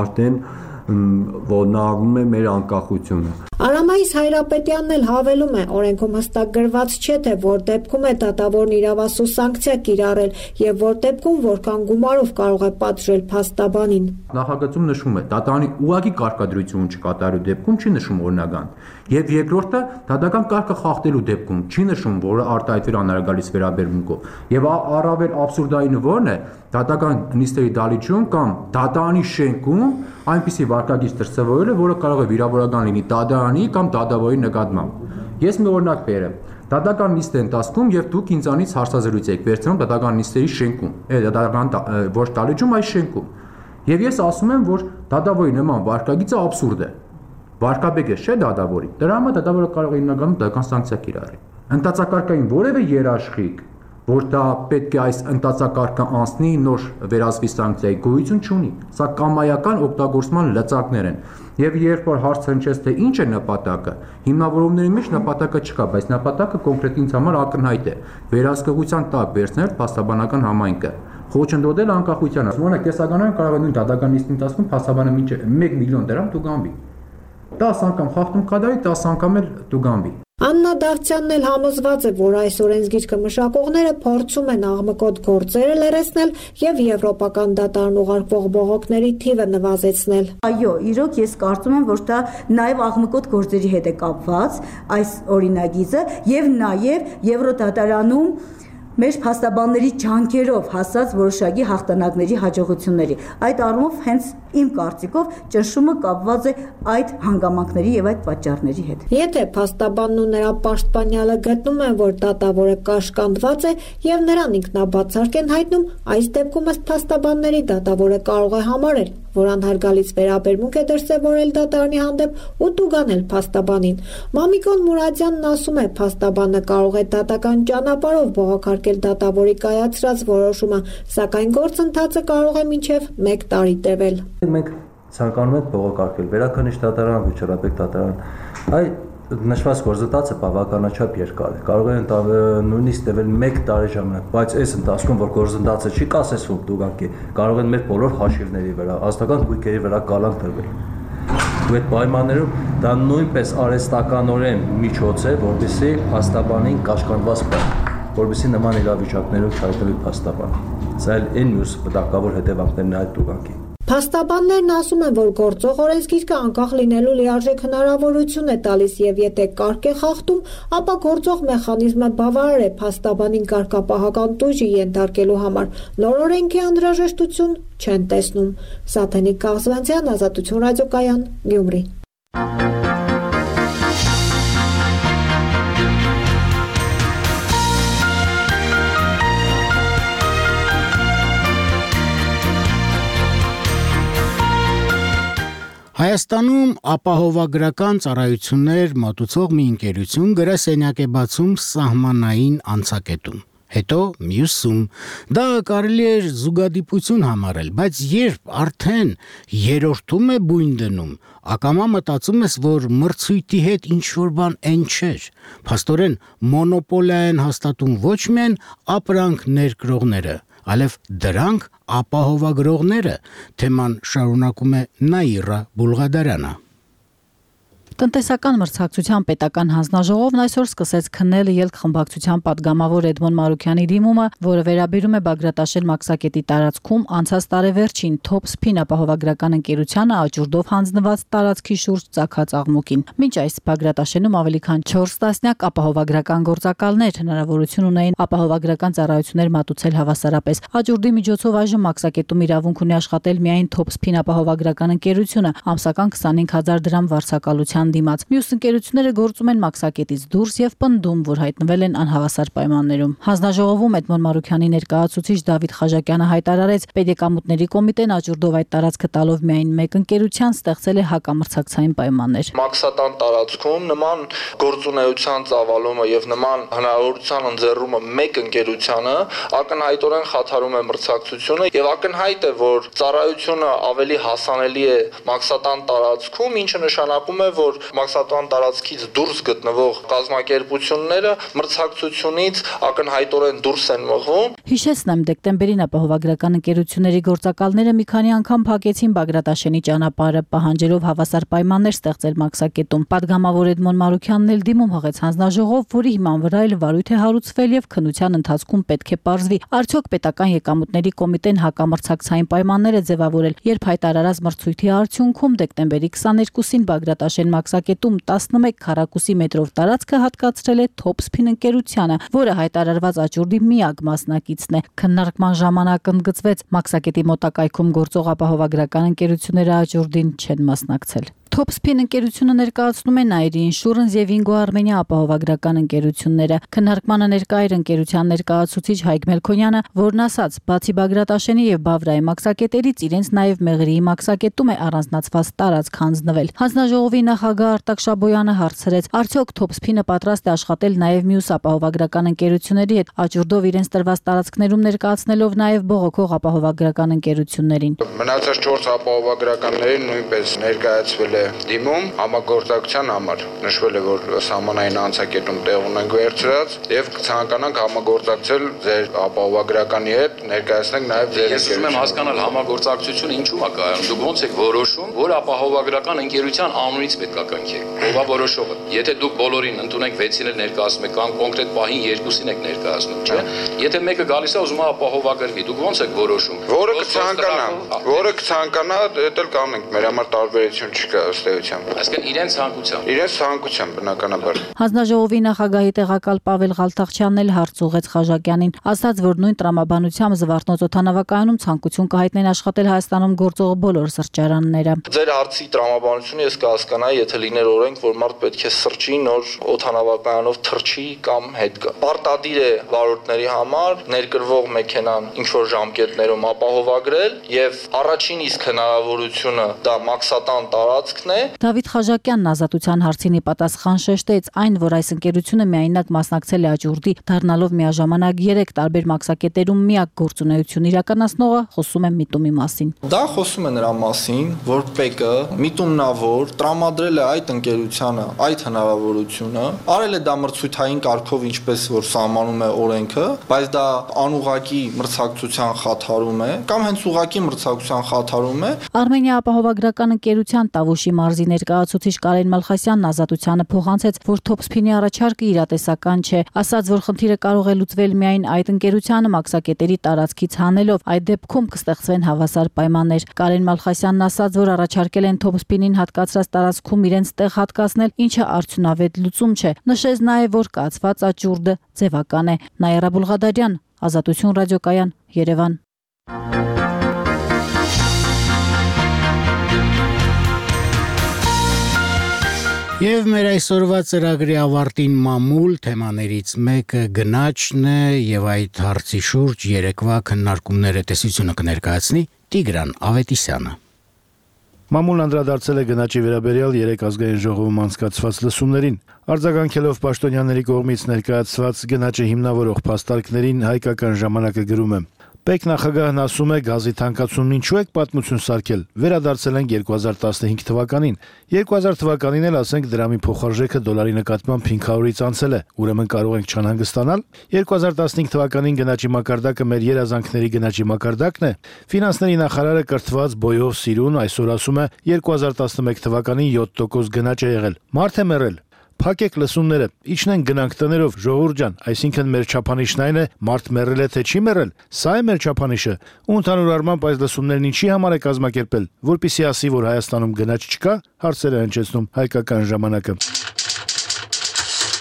արդեն ոտնահարվում է մեր անկախությունը։ Արամայիս Հայրապետյանն էլ հավելում է, օրենքում հստակ գրված չէ, թե որ դեպքում է դատավորն իրավասու սանկցիա կիրառել եւ որ դեպքում որքան գումարով կարող է պատժել փաստաբանին։ Նախագծում նշում է դատարանի ուղղակի կարգադրություն չկատարելու դեպքում չի նշում օրինական։ Եվ երկրորդը դատական կարգը խախտելու դեպքում չի նշում, որ արտահայտվել անհրաժեշտ վերաբերմունքով։ Եվ առավել աբսուրդայինը որն է, դատական նիստերի դալիճում կամ դատարանի շենքում այնպիսի վարկագիծ դրսևորել է, որը կարող է վիրավորական լինի դատարանի կամ դատավորի նկատմամբ։ Ես մի օրինակ բերեմ։ Դատական նիստի ընթացքում եւ դուք ինձանից հարցազրույց եք վերցնում դատական նիստերի շենքում, դատական ոչ դալիճում, այս շենքում։ Եվ ես ասում եմ, որ դատավորի նման վարկագիծը աբսուրդ է։ Վարկաբեկ է, չէ՞ դատավորի։ Դրա համար դատավորը կարող է հիմնականում դատական սանկցիա կիրառել։ Ընտածակարգային որևէ երաշխիք, որ դա պետք է այս ընտածակարգը անցնի, նոր վերածվի սանկցիայի գոյություն չունի։ Սա կամայական օգտագործման լծակներ են։ Եվ երբ որ հարց հնչեց, թե ինչ է նպատակը, հիմնավորումների մեջ նպատակը չկա, բայց նպատակը կոնկրետ ինձ համար ակնհայտ է։ Վերահսկողության տակ վերցնել փաստաբանական համայնքը, խոչընդոտել անկախությանը։ Օրինակ, տեսականորեն կարող է նույն դատական նիստի ընթացքում փաստաբանը մինչև 1 միլիոն դրամ տուգանվի։ 10 անգամ խախտում կատարի, 10 անգամ էլ տուգանվի։ Աննա Դավթյանն էլ համոզված է, որ այս օրենսգիրքը մշակողները փորձում են աղմկոտ գործերը լրացնել եւ եվրոպական դատարան ուղարկվող բողոքների թիվը նվազեցնել։ Այո, իրոք ես կարծում եմ, որ դա նաեւ աղմկոտ գործերի հետ է կապված այս օրինագիծը եւ նաեւ Եվրոդատարանում մեր փաստաբանների ջանքերով հասած որոշակի հաղթանակների հաջողությունների։ Այդ առումով հենց իմ կարծիքով ճնշումը կապված է այդ հանգամանքների եւ այդ պատճառների հետ։ Եթե փաստաբանն ու նրա պաշտպանյալը գտնում են, որ դատավորը կաշկանդված է եւ նրան ինքնաբացարկ են հայտնում, այս դեպքում ըստ փաստաբանների դատավորը կարող է համարել, որ անհարգալից վերաբերմունք է դրսևորել դատարանի հանդեպ ու տուգանել փաստաբանին։ Մամիկոն Մուրադյանն ասում է, փաստաբանը կարող է դատական ճանապարհով բողոքարկել դատավորի կայացրած որոշումը, սակայն գործընթացը կարող է մինչև 1 տարի տևել։ Մենք ցանկանում ենք բողոքարկել Վերաքննիչ դատարան, Վիճռաբեկ դատարան։ Այ նշված գործընթացը բավականաչափ երկար է։ Կարող է նույնիսկ տևել 1 տարի ժամանակ, բայց այս ընթացքում, որ գործընթացը չի կասեցվում դուգանքի, կարող են մեր բոլոր հաշիվների վրա, ազգական գույքերի վրա կալանք դրվել։ Ու այդ պայմաններում դա նույնպես արհեստականորեն միջոց է, որպեսզի փաստաբանին կաշկանդված բան, որպեսզի նման իրավիճակներով չհայտնվի փաստաբան։ Սա էլ այն մյուս վտանգավոր հետևանքներն է այդ դուգանքի։ Փաստաբաններն ասում են, որ գործող օրենսգիրքը անկախ լինելու լիարժեք հնարավորություն է տալիս եւ եթե կարգ է խախտում, ապա գործող մեխանիզմը բավարար է փաստաբանին կարգապահական տուժի ենթարկելու համար։ Նոր օրենքի անհրաժեշտություն չեն տեսնում։ Սաթենիկ Կաղզվանցյան, Ազատություն ռադիոկայան, Գյումրի։ Հայաստանում ապահովագրական ծառայություններ մատուցող մի ընկերություն գրասենյակ է բացում սահմանային անցակետում, հետո մյուսում։ Դա կարելի է զուգադիպություն համարել, բայց երբ արդեն երրորդում է բույն դնում, ակամա մտածում ես, որ մրցույթի հետ ինչ-որ բան են չէր։ Փաստորեն մոնոպոլիա են հաստատում ոչ միայն ապրանք ներկրողները, այլև դրանք ապահովագրողները, թեման շարունակում է Նաիրա Բուլղադարյանը։ Տնտեսական մրցակցության պետական հանձնաժողովն այսօր սկսեց քննել ելք խմբակցության падգամավոր Էդմոն Մարուքյանի դիմումը, որը վերաբերում է Բագրատաշեն մաքսակետի տարածքում անցած տարեվերջին Top-Spin ապահովագրական ընկերությանը աճուրդով հանձնված տարածքի շուրջ ծագած աղմուկին։ Մինչ այս Բագրատաշենում ավելի քան 4 տասնյակ ապահովագրական գործակալներ հնարավորություն ունեին ապահովագրական ծառայություններ մատուցել հավասարապես։ Աճուրդի միջոցով այժմ մաքսակետում իրավունք ունի աշխատել միայն Top-Spin ապահովագրական ընկերությունը, ամսական 25000 դրամ վարձակալության դիմաց։ Մյուս ընկերությունները գործում են մաքսակետից դուրս եւ պնդում, որ հայտնվել են անհավասար պայմաններում։ Հանձնաժողովում Էդմոն Մարուքյանի ներկայացուցիչ Դավիթ Խաժակյանը հայտարարեց, Պետեկամուտների կոմիտեն աճուրդով այդ տարածքը տալով միայն մեկ ընկերության ստեղծել է հակամրցակցային պայմաններ։ Մաքսատան տարածքում նման գործունեության ծավալումը եւ նման հնարավորության ընձեռումը մեկ ընկերությանը ակնհայտորեն խաթարում է մրցակցությունը եւ ակնհայտ է, որ ծառայությունը ավելի հասանելի է մաքսատան տարածքում, ինչը նշանակում է, որ մաքսատան տարածքից դուրս գտնվող կազմակերպությունները մրցակցությունից ակնհայտորեն դուրս են մղվում։ Հիշեցնեմ, դեկտեմբերին ապահովագրական ընկերությունների գործակալները մի քանի անգամ փակեցին Բագրատաշենի ճանապարհը, պահանջելով հավասար պայմաններ ստեղծել մաքսակետում։ Պատգամավոր Էդմոն Մարուքյանն էլ դիմում հղեց հանձնաժողով, որի հիման վրա էլ վարույթ է հարուցվել եւ քննության ընթացքում պետք է պարզվի, արդյոք պետական եկամուտների կոմիտեն հակամրցակցային պայմաններ է ձևավորել, երբ հայտարարած մրցույթի արդյունքում դեկտեմբերի 22-ին Բագրատաշեն մաքսակետում 11 քառակուսի մետրով տարածքը հատկացրել է Top-Spin ընկերությանը, որը հայտարարված աճուրդի միակ մասնակիցն է։ Քննարկման ժամանակ ընդգծվեց, մաքսակետի մոտակայքում գործող ապահովագրական ընկերությունները աճուրդին չեն մասնակցել։ Topspin ընկերությունը ներկայացնում է Nairi Insurance եւ Ingo Armenia ապահովագրական ընկերությունները։ Քննարկմանը ներկա էր ընկերության ներկայացուցիչ Հայկ Մելքոնյանը, որն ասաց, բացի Բագրատաշենի եւ Բավրայի մաքսակետերից իրենց նաեւ Մեղրիի մաքսակետում է առանձնացված տարածք հանձնվել։ Հանձնաժողովի նախագահ Արտակ Շաբոյանը հարցրեց, արդյոք Topspin-ը պատրաստ է աշխատել նաեւ մյուս ապահովագրական ընկերությունների հետ, աճուրդով իրենց տրված տարածքներում ներկայացնելով նաեւ բողոքող ապահովագրական ընկերություններին։ Մնացած 4 ապահովագրականներին նույնպես ներկայացվել է դիմում համագործակցության համար։ Նշվել է, որ սահմանային անցակետում տեղ ունենք վերցրած եւ կցանկանանք համագործակցել ձեր ապահովագրականի հետ, ներկայացնենք նաեւ ձեր Ես ուզում եմ հասկանալ համագործակցությունը ինչու՞մ է կայանում։ Դուք ո՞նց եք որոշում, որ ապահովագրական ընկերության անունից պետք է կնքեք։ Ո՞վ է որոշողը։ Եթե դուք բոլորին ընդունեք 6-ին էլ ներկայացնում եք կամ կոնկրետ պահին 2-ին եք ներկայացնում, չէ՞։ Եթե մեկը գալիս է ուզում է ապահովագրվի, դուք ո՞նց եք որոշում։ Որը կցանկանա, դա էլ կանենք, մեր համար տարբերություն չկա ըստ էության։ Այսինքն իրենց ցանկությամբ։ Իրենց ցանկությամբ բնականաբար։ Հանձնաժողովի նախագահի տեղակալ Պավել Ղալթախչյանն էլ հարց ուղղեց Խաժակյանին, ասաց, որ նույն տրամաբանությամբ Զվարթնոց օդանավակայանում ցանկություն կհայտնեն աշխատել Հայաստանում գործող բոլոր սրճարանները։ Ձեր հարցի տրամաբանությունը ես կհասկանայի, եթե լիներ օրենք, որ մարդ պետք է սրճի, նոր օդանավակայանով թռչի կամ հետ գա։ Պարտադիր է վարորդների համար ներկրվող մեքենան ինչ որ ժամկետներում ապահովագրել եւ առաջին իսկ հնարավորությունը դա մաքսատան տարածքն է։ Դավիթ Խաժակյանն ազատության հարցին ի պատասխան շեշտեց այն, որ այս ընկերությունը միայնակ մասնակցել է աճուրդի, դառնալով միաժամանակ 3 տարբեր մաքսակետերում միակ գործունեություն իրականացնողը, խոսում է միտումի մասին։ Դա խոսում է նրա մասին, որ ՊԵԿ-ը միտումնավոր տրամադրել է այդ ընկերությանը այդ հնարավորությունը, արել է դա մրցույթային կարգով, ինչպես որ սահմանում է օրենքը, բայց դա անուղղակի մրցակցության խաթարում է կամ հենց ուղղակի մրցակցության խաթարում է։ Արմենիա ապահովագրական ընկերության Տավուշի մարզի ներկայացուցիչ Կարեն Մալխասյանն ազատությանը փոխանցեց, որ Topspin-ի առաջարկը իրատեսական չէ, ասաց, որ խնդիրը կարող է լուծվել միայն այդ ընկերությանը մաքսակետերի տարածքից հանելով, այդ դեպքում կստեղծվեն հավասար պայմաններ։ Կարեն Մալխասյանն ասաց, որ առաջարկել են Topspin-ին հատկացրած տարածքում իրենց տեղ հատկացնել, ինչը արդյունավետ լուծում չէ։ Նշեց նաև, որ կացված աճուրդը ձևական է։ Նաիրա Բուլղադարյան, Ազատություն ռադիոկայան, Երևան։ Եվ մեր այսօրվա ծրագրի ավարտին մամուլ թեմաներից մեկը գնաճն է եւ այդ հարցի շուրջ երեկվա քննարկումները տեսությունը կներկայացնի Տիգրան Ավետիսյանը։ Մամուլն անդրադարձել է գնաճի վերաբերյալ 3 ազգային ժողովում անցկացված լսումներին, արձագանքելով պաշտոնյաների կողմից ներկայացված գնաճը հիմնավորող փաստարկներին հայկական ժամանակը գրում է. ՊԵԿ նախագահն ասում է գազի թանկացումն ինչու եք պատմություն սարքել, վերադարձել ենք 2015 թվականին, 2000 թվականին էլ ասենք դրամի փոխարժեքը դոլարի նկատմամբ 500-ից անցել է, ուրեմն կարող ենք չանհանգստանալ, 2015 թվականին գնաճի մակարդակը մեր երազանքների գնաճի մակարդակն է, ֆինանսների նախարարը կրթված բոյով սիրուն այսօր ասում է 2011 թվականին 7% գնաճ է եղել, մարդ է մեռել, Փակեք լսումները, իջնենք գնանք տներով, ժողովուրդ ջան, այսինքն մեր չափանիշն այն է, մարդ մեռել է թե չի մեռել, սա է մեր չափանիշը, ու ընդհանուր առմամբ այս լսումներն ինչի համար է կազմակերպել, որպեսզի ասի, որ Հայաստանում գնաճ չկա, հարցեր է հնչեցնում հայկական ժամանակը։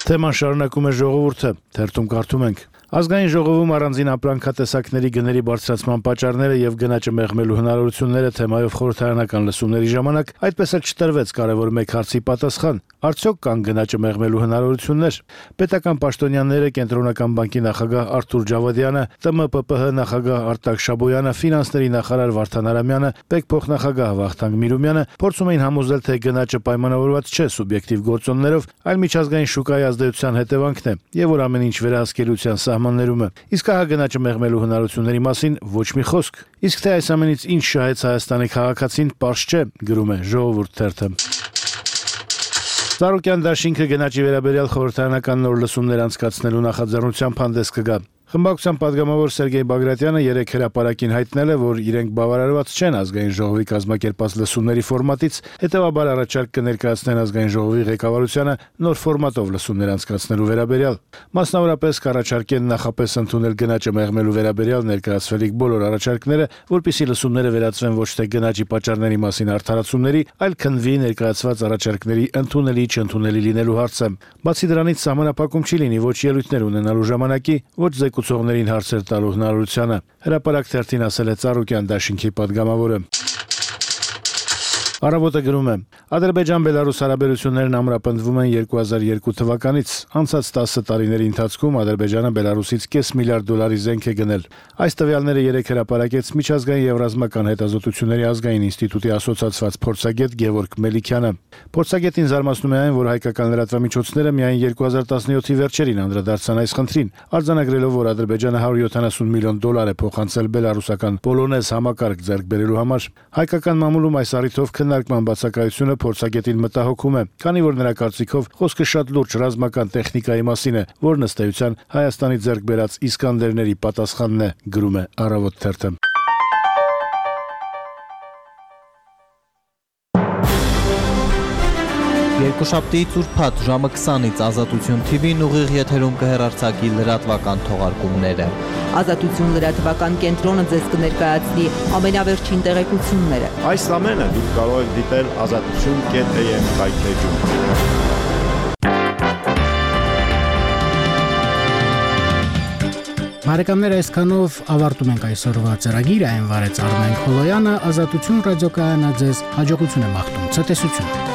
Թեման շարունակում է ժողովուրդը, թերթում կարդում ենք. Ազգային ժողովում առանձին ապրանքատեսակների գների բարձրացման պատճառները եւ գնաճը մեղմելու հնարավորությունները թեմայով խորհրդարանական լսումների ժամանակ այդպես էլ չտրվեց կարևոր մեկ հարցի պատասխան. արդյոք կան գնաճը մեղմելու հնարավորություններ։ Պետական պաշտոնյաները, Կենտրոնական բանկի նախագահ Արթուր Ջավադյանը, ՏՄՊՊՀ նախագահ Արտակ Շաբոյանը, ֆինանսների նախարար Վարդան Արամյանը, ՊԵԿ փոխնախագահ Վախթանգ Միրումյանը փորձում էին համոզել, թե գնաճը պայմանավորված չէ սուբյեկտիվ գործոններով, այլ միջազգային շուկայի ազդեցության հետևանքն է, եւ որ ամեն ինչ վերահսկելիության սահմաններում է։ Իսկ ահա գնաճը մեղմելու հնարավորությունների մասին ոչ մի խոսք։ Իսկ թե այս ամենից ինչ շահեց Հայաստանի քաղաքացին, պարզ չէ, գրում է Ժողովուրդ թերթը։ Ծառուկյան դաշինքը գնաճի վերաբերյալ խորհրդարանական նոր լսումներ անցկացնելու նախաձեռնությամբ հանդես կգա։ Խմբակցության падգամավոր Սերգեյ Բագրատյանը երեկ հրապարակին հայտնել է, որ իրենք բավարարված չեն ազգային ժողովի կազմակերպած լսումների ֆորմատից, հետևաբար առաջարկ կներկայացնեն ազգային ժողովի ղեկավարությանը նոր ֆորմատով լսումներ անցկացնելու վերաբերյալ։ Մասնավորապես կառաջարկեն նախապես ընդունել գնաճը մեղմելու վերաբերյալ ներկայացվելիք բոլոր առաջարկները, որպիսի լսումները վերածվեն ոչ թե գնաճի պատճառների մասին արդարացումների, այլ քննվի ներկայացված առաջարկների ընդունելի չընդունելի լինելու հարցը։ Բացի դրանից սահմանափակում չի լինի ոչ ելույթներ ունենալու ժամանակի, ոչ զեկուցողներին հարցեր տալու հնարավորությանը։ Հրապարակ թերթին ասել է Ծառուկյան դաշինքի падգամավորը։ Առավոտը գրում է. Ադրբեջան-Բելարուս հարաբերություններն ամրապնդվում են 2002 թվականից։ Անցած 10 տարիների ընթացքում Ադրբեջանը Բելարուսից $500 միլիարդ զենք է գնել։ Այս տվյալները երեկ հրապարակեց Միջազգային եւ ռազմական հետազոտությունների ազգային ինստիտուտի ասոցացված փորձագետ Գևորգ Մելիքյանը։ Փորձագետին զարմացնում է այն, որ հայկական լրատվամիջոցները միայն 2017-ի վերջերին անդրադարձան այս խնդրին, արձանագրելով, որ Ադրբեջանը $170 միլիոն է փոխանցել բելարուսական Պոլոնեզ համակարգ ձեռք բերելու համար։ Հայկական մամուլում այս առիթով քննարկման բացակայությունը փորձագետին մտահոգում է, քանի որ նրա կարծիքով խոսքը շատ լուրջ ռազմական տեխնիկայի մասին է, որն ըստ էության Հայաստանի ձեռք բերած Իսկանդերների պատասխանն է, գրում է Առավոտ թերթը։ Երկուշաբթիից ուրբաթ ժամը 20-ից Ազատություն TV-ն ուղիղ եթերում կհեռարձակի լրատվական թողարկումները։ Ազատություն լրատվական կենտրոնը ձեզ կներկայացնի ամենավերջին տեղեկությունները։ Այս ամենը դուք կարող եք դիտել azatutun.am կայքէջում։ Բարեկամներ, այսքանով ավարտում ենք այսօրվա ծրագիրը, այն վարեց Արմեն Խոլոյանը, Ազատություն ռադիոկայանը ձեզ հաջողություն է մաղթում, ցտեսություն։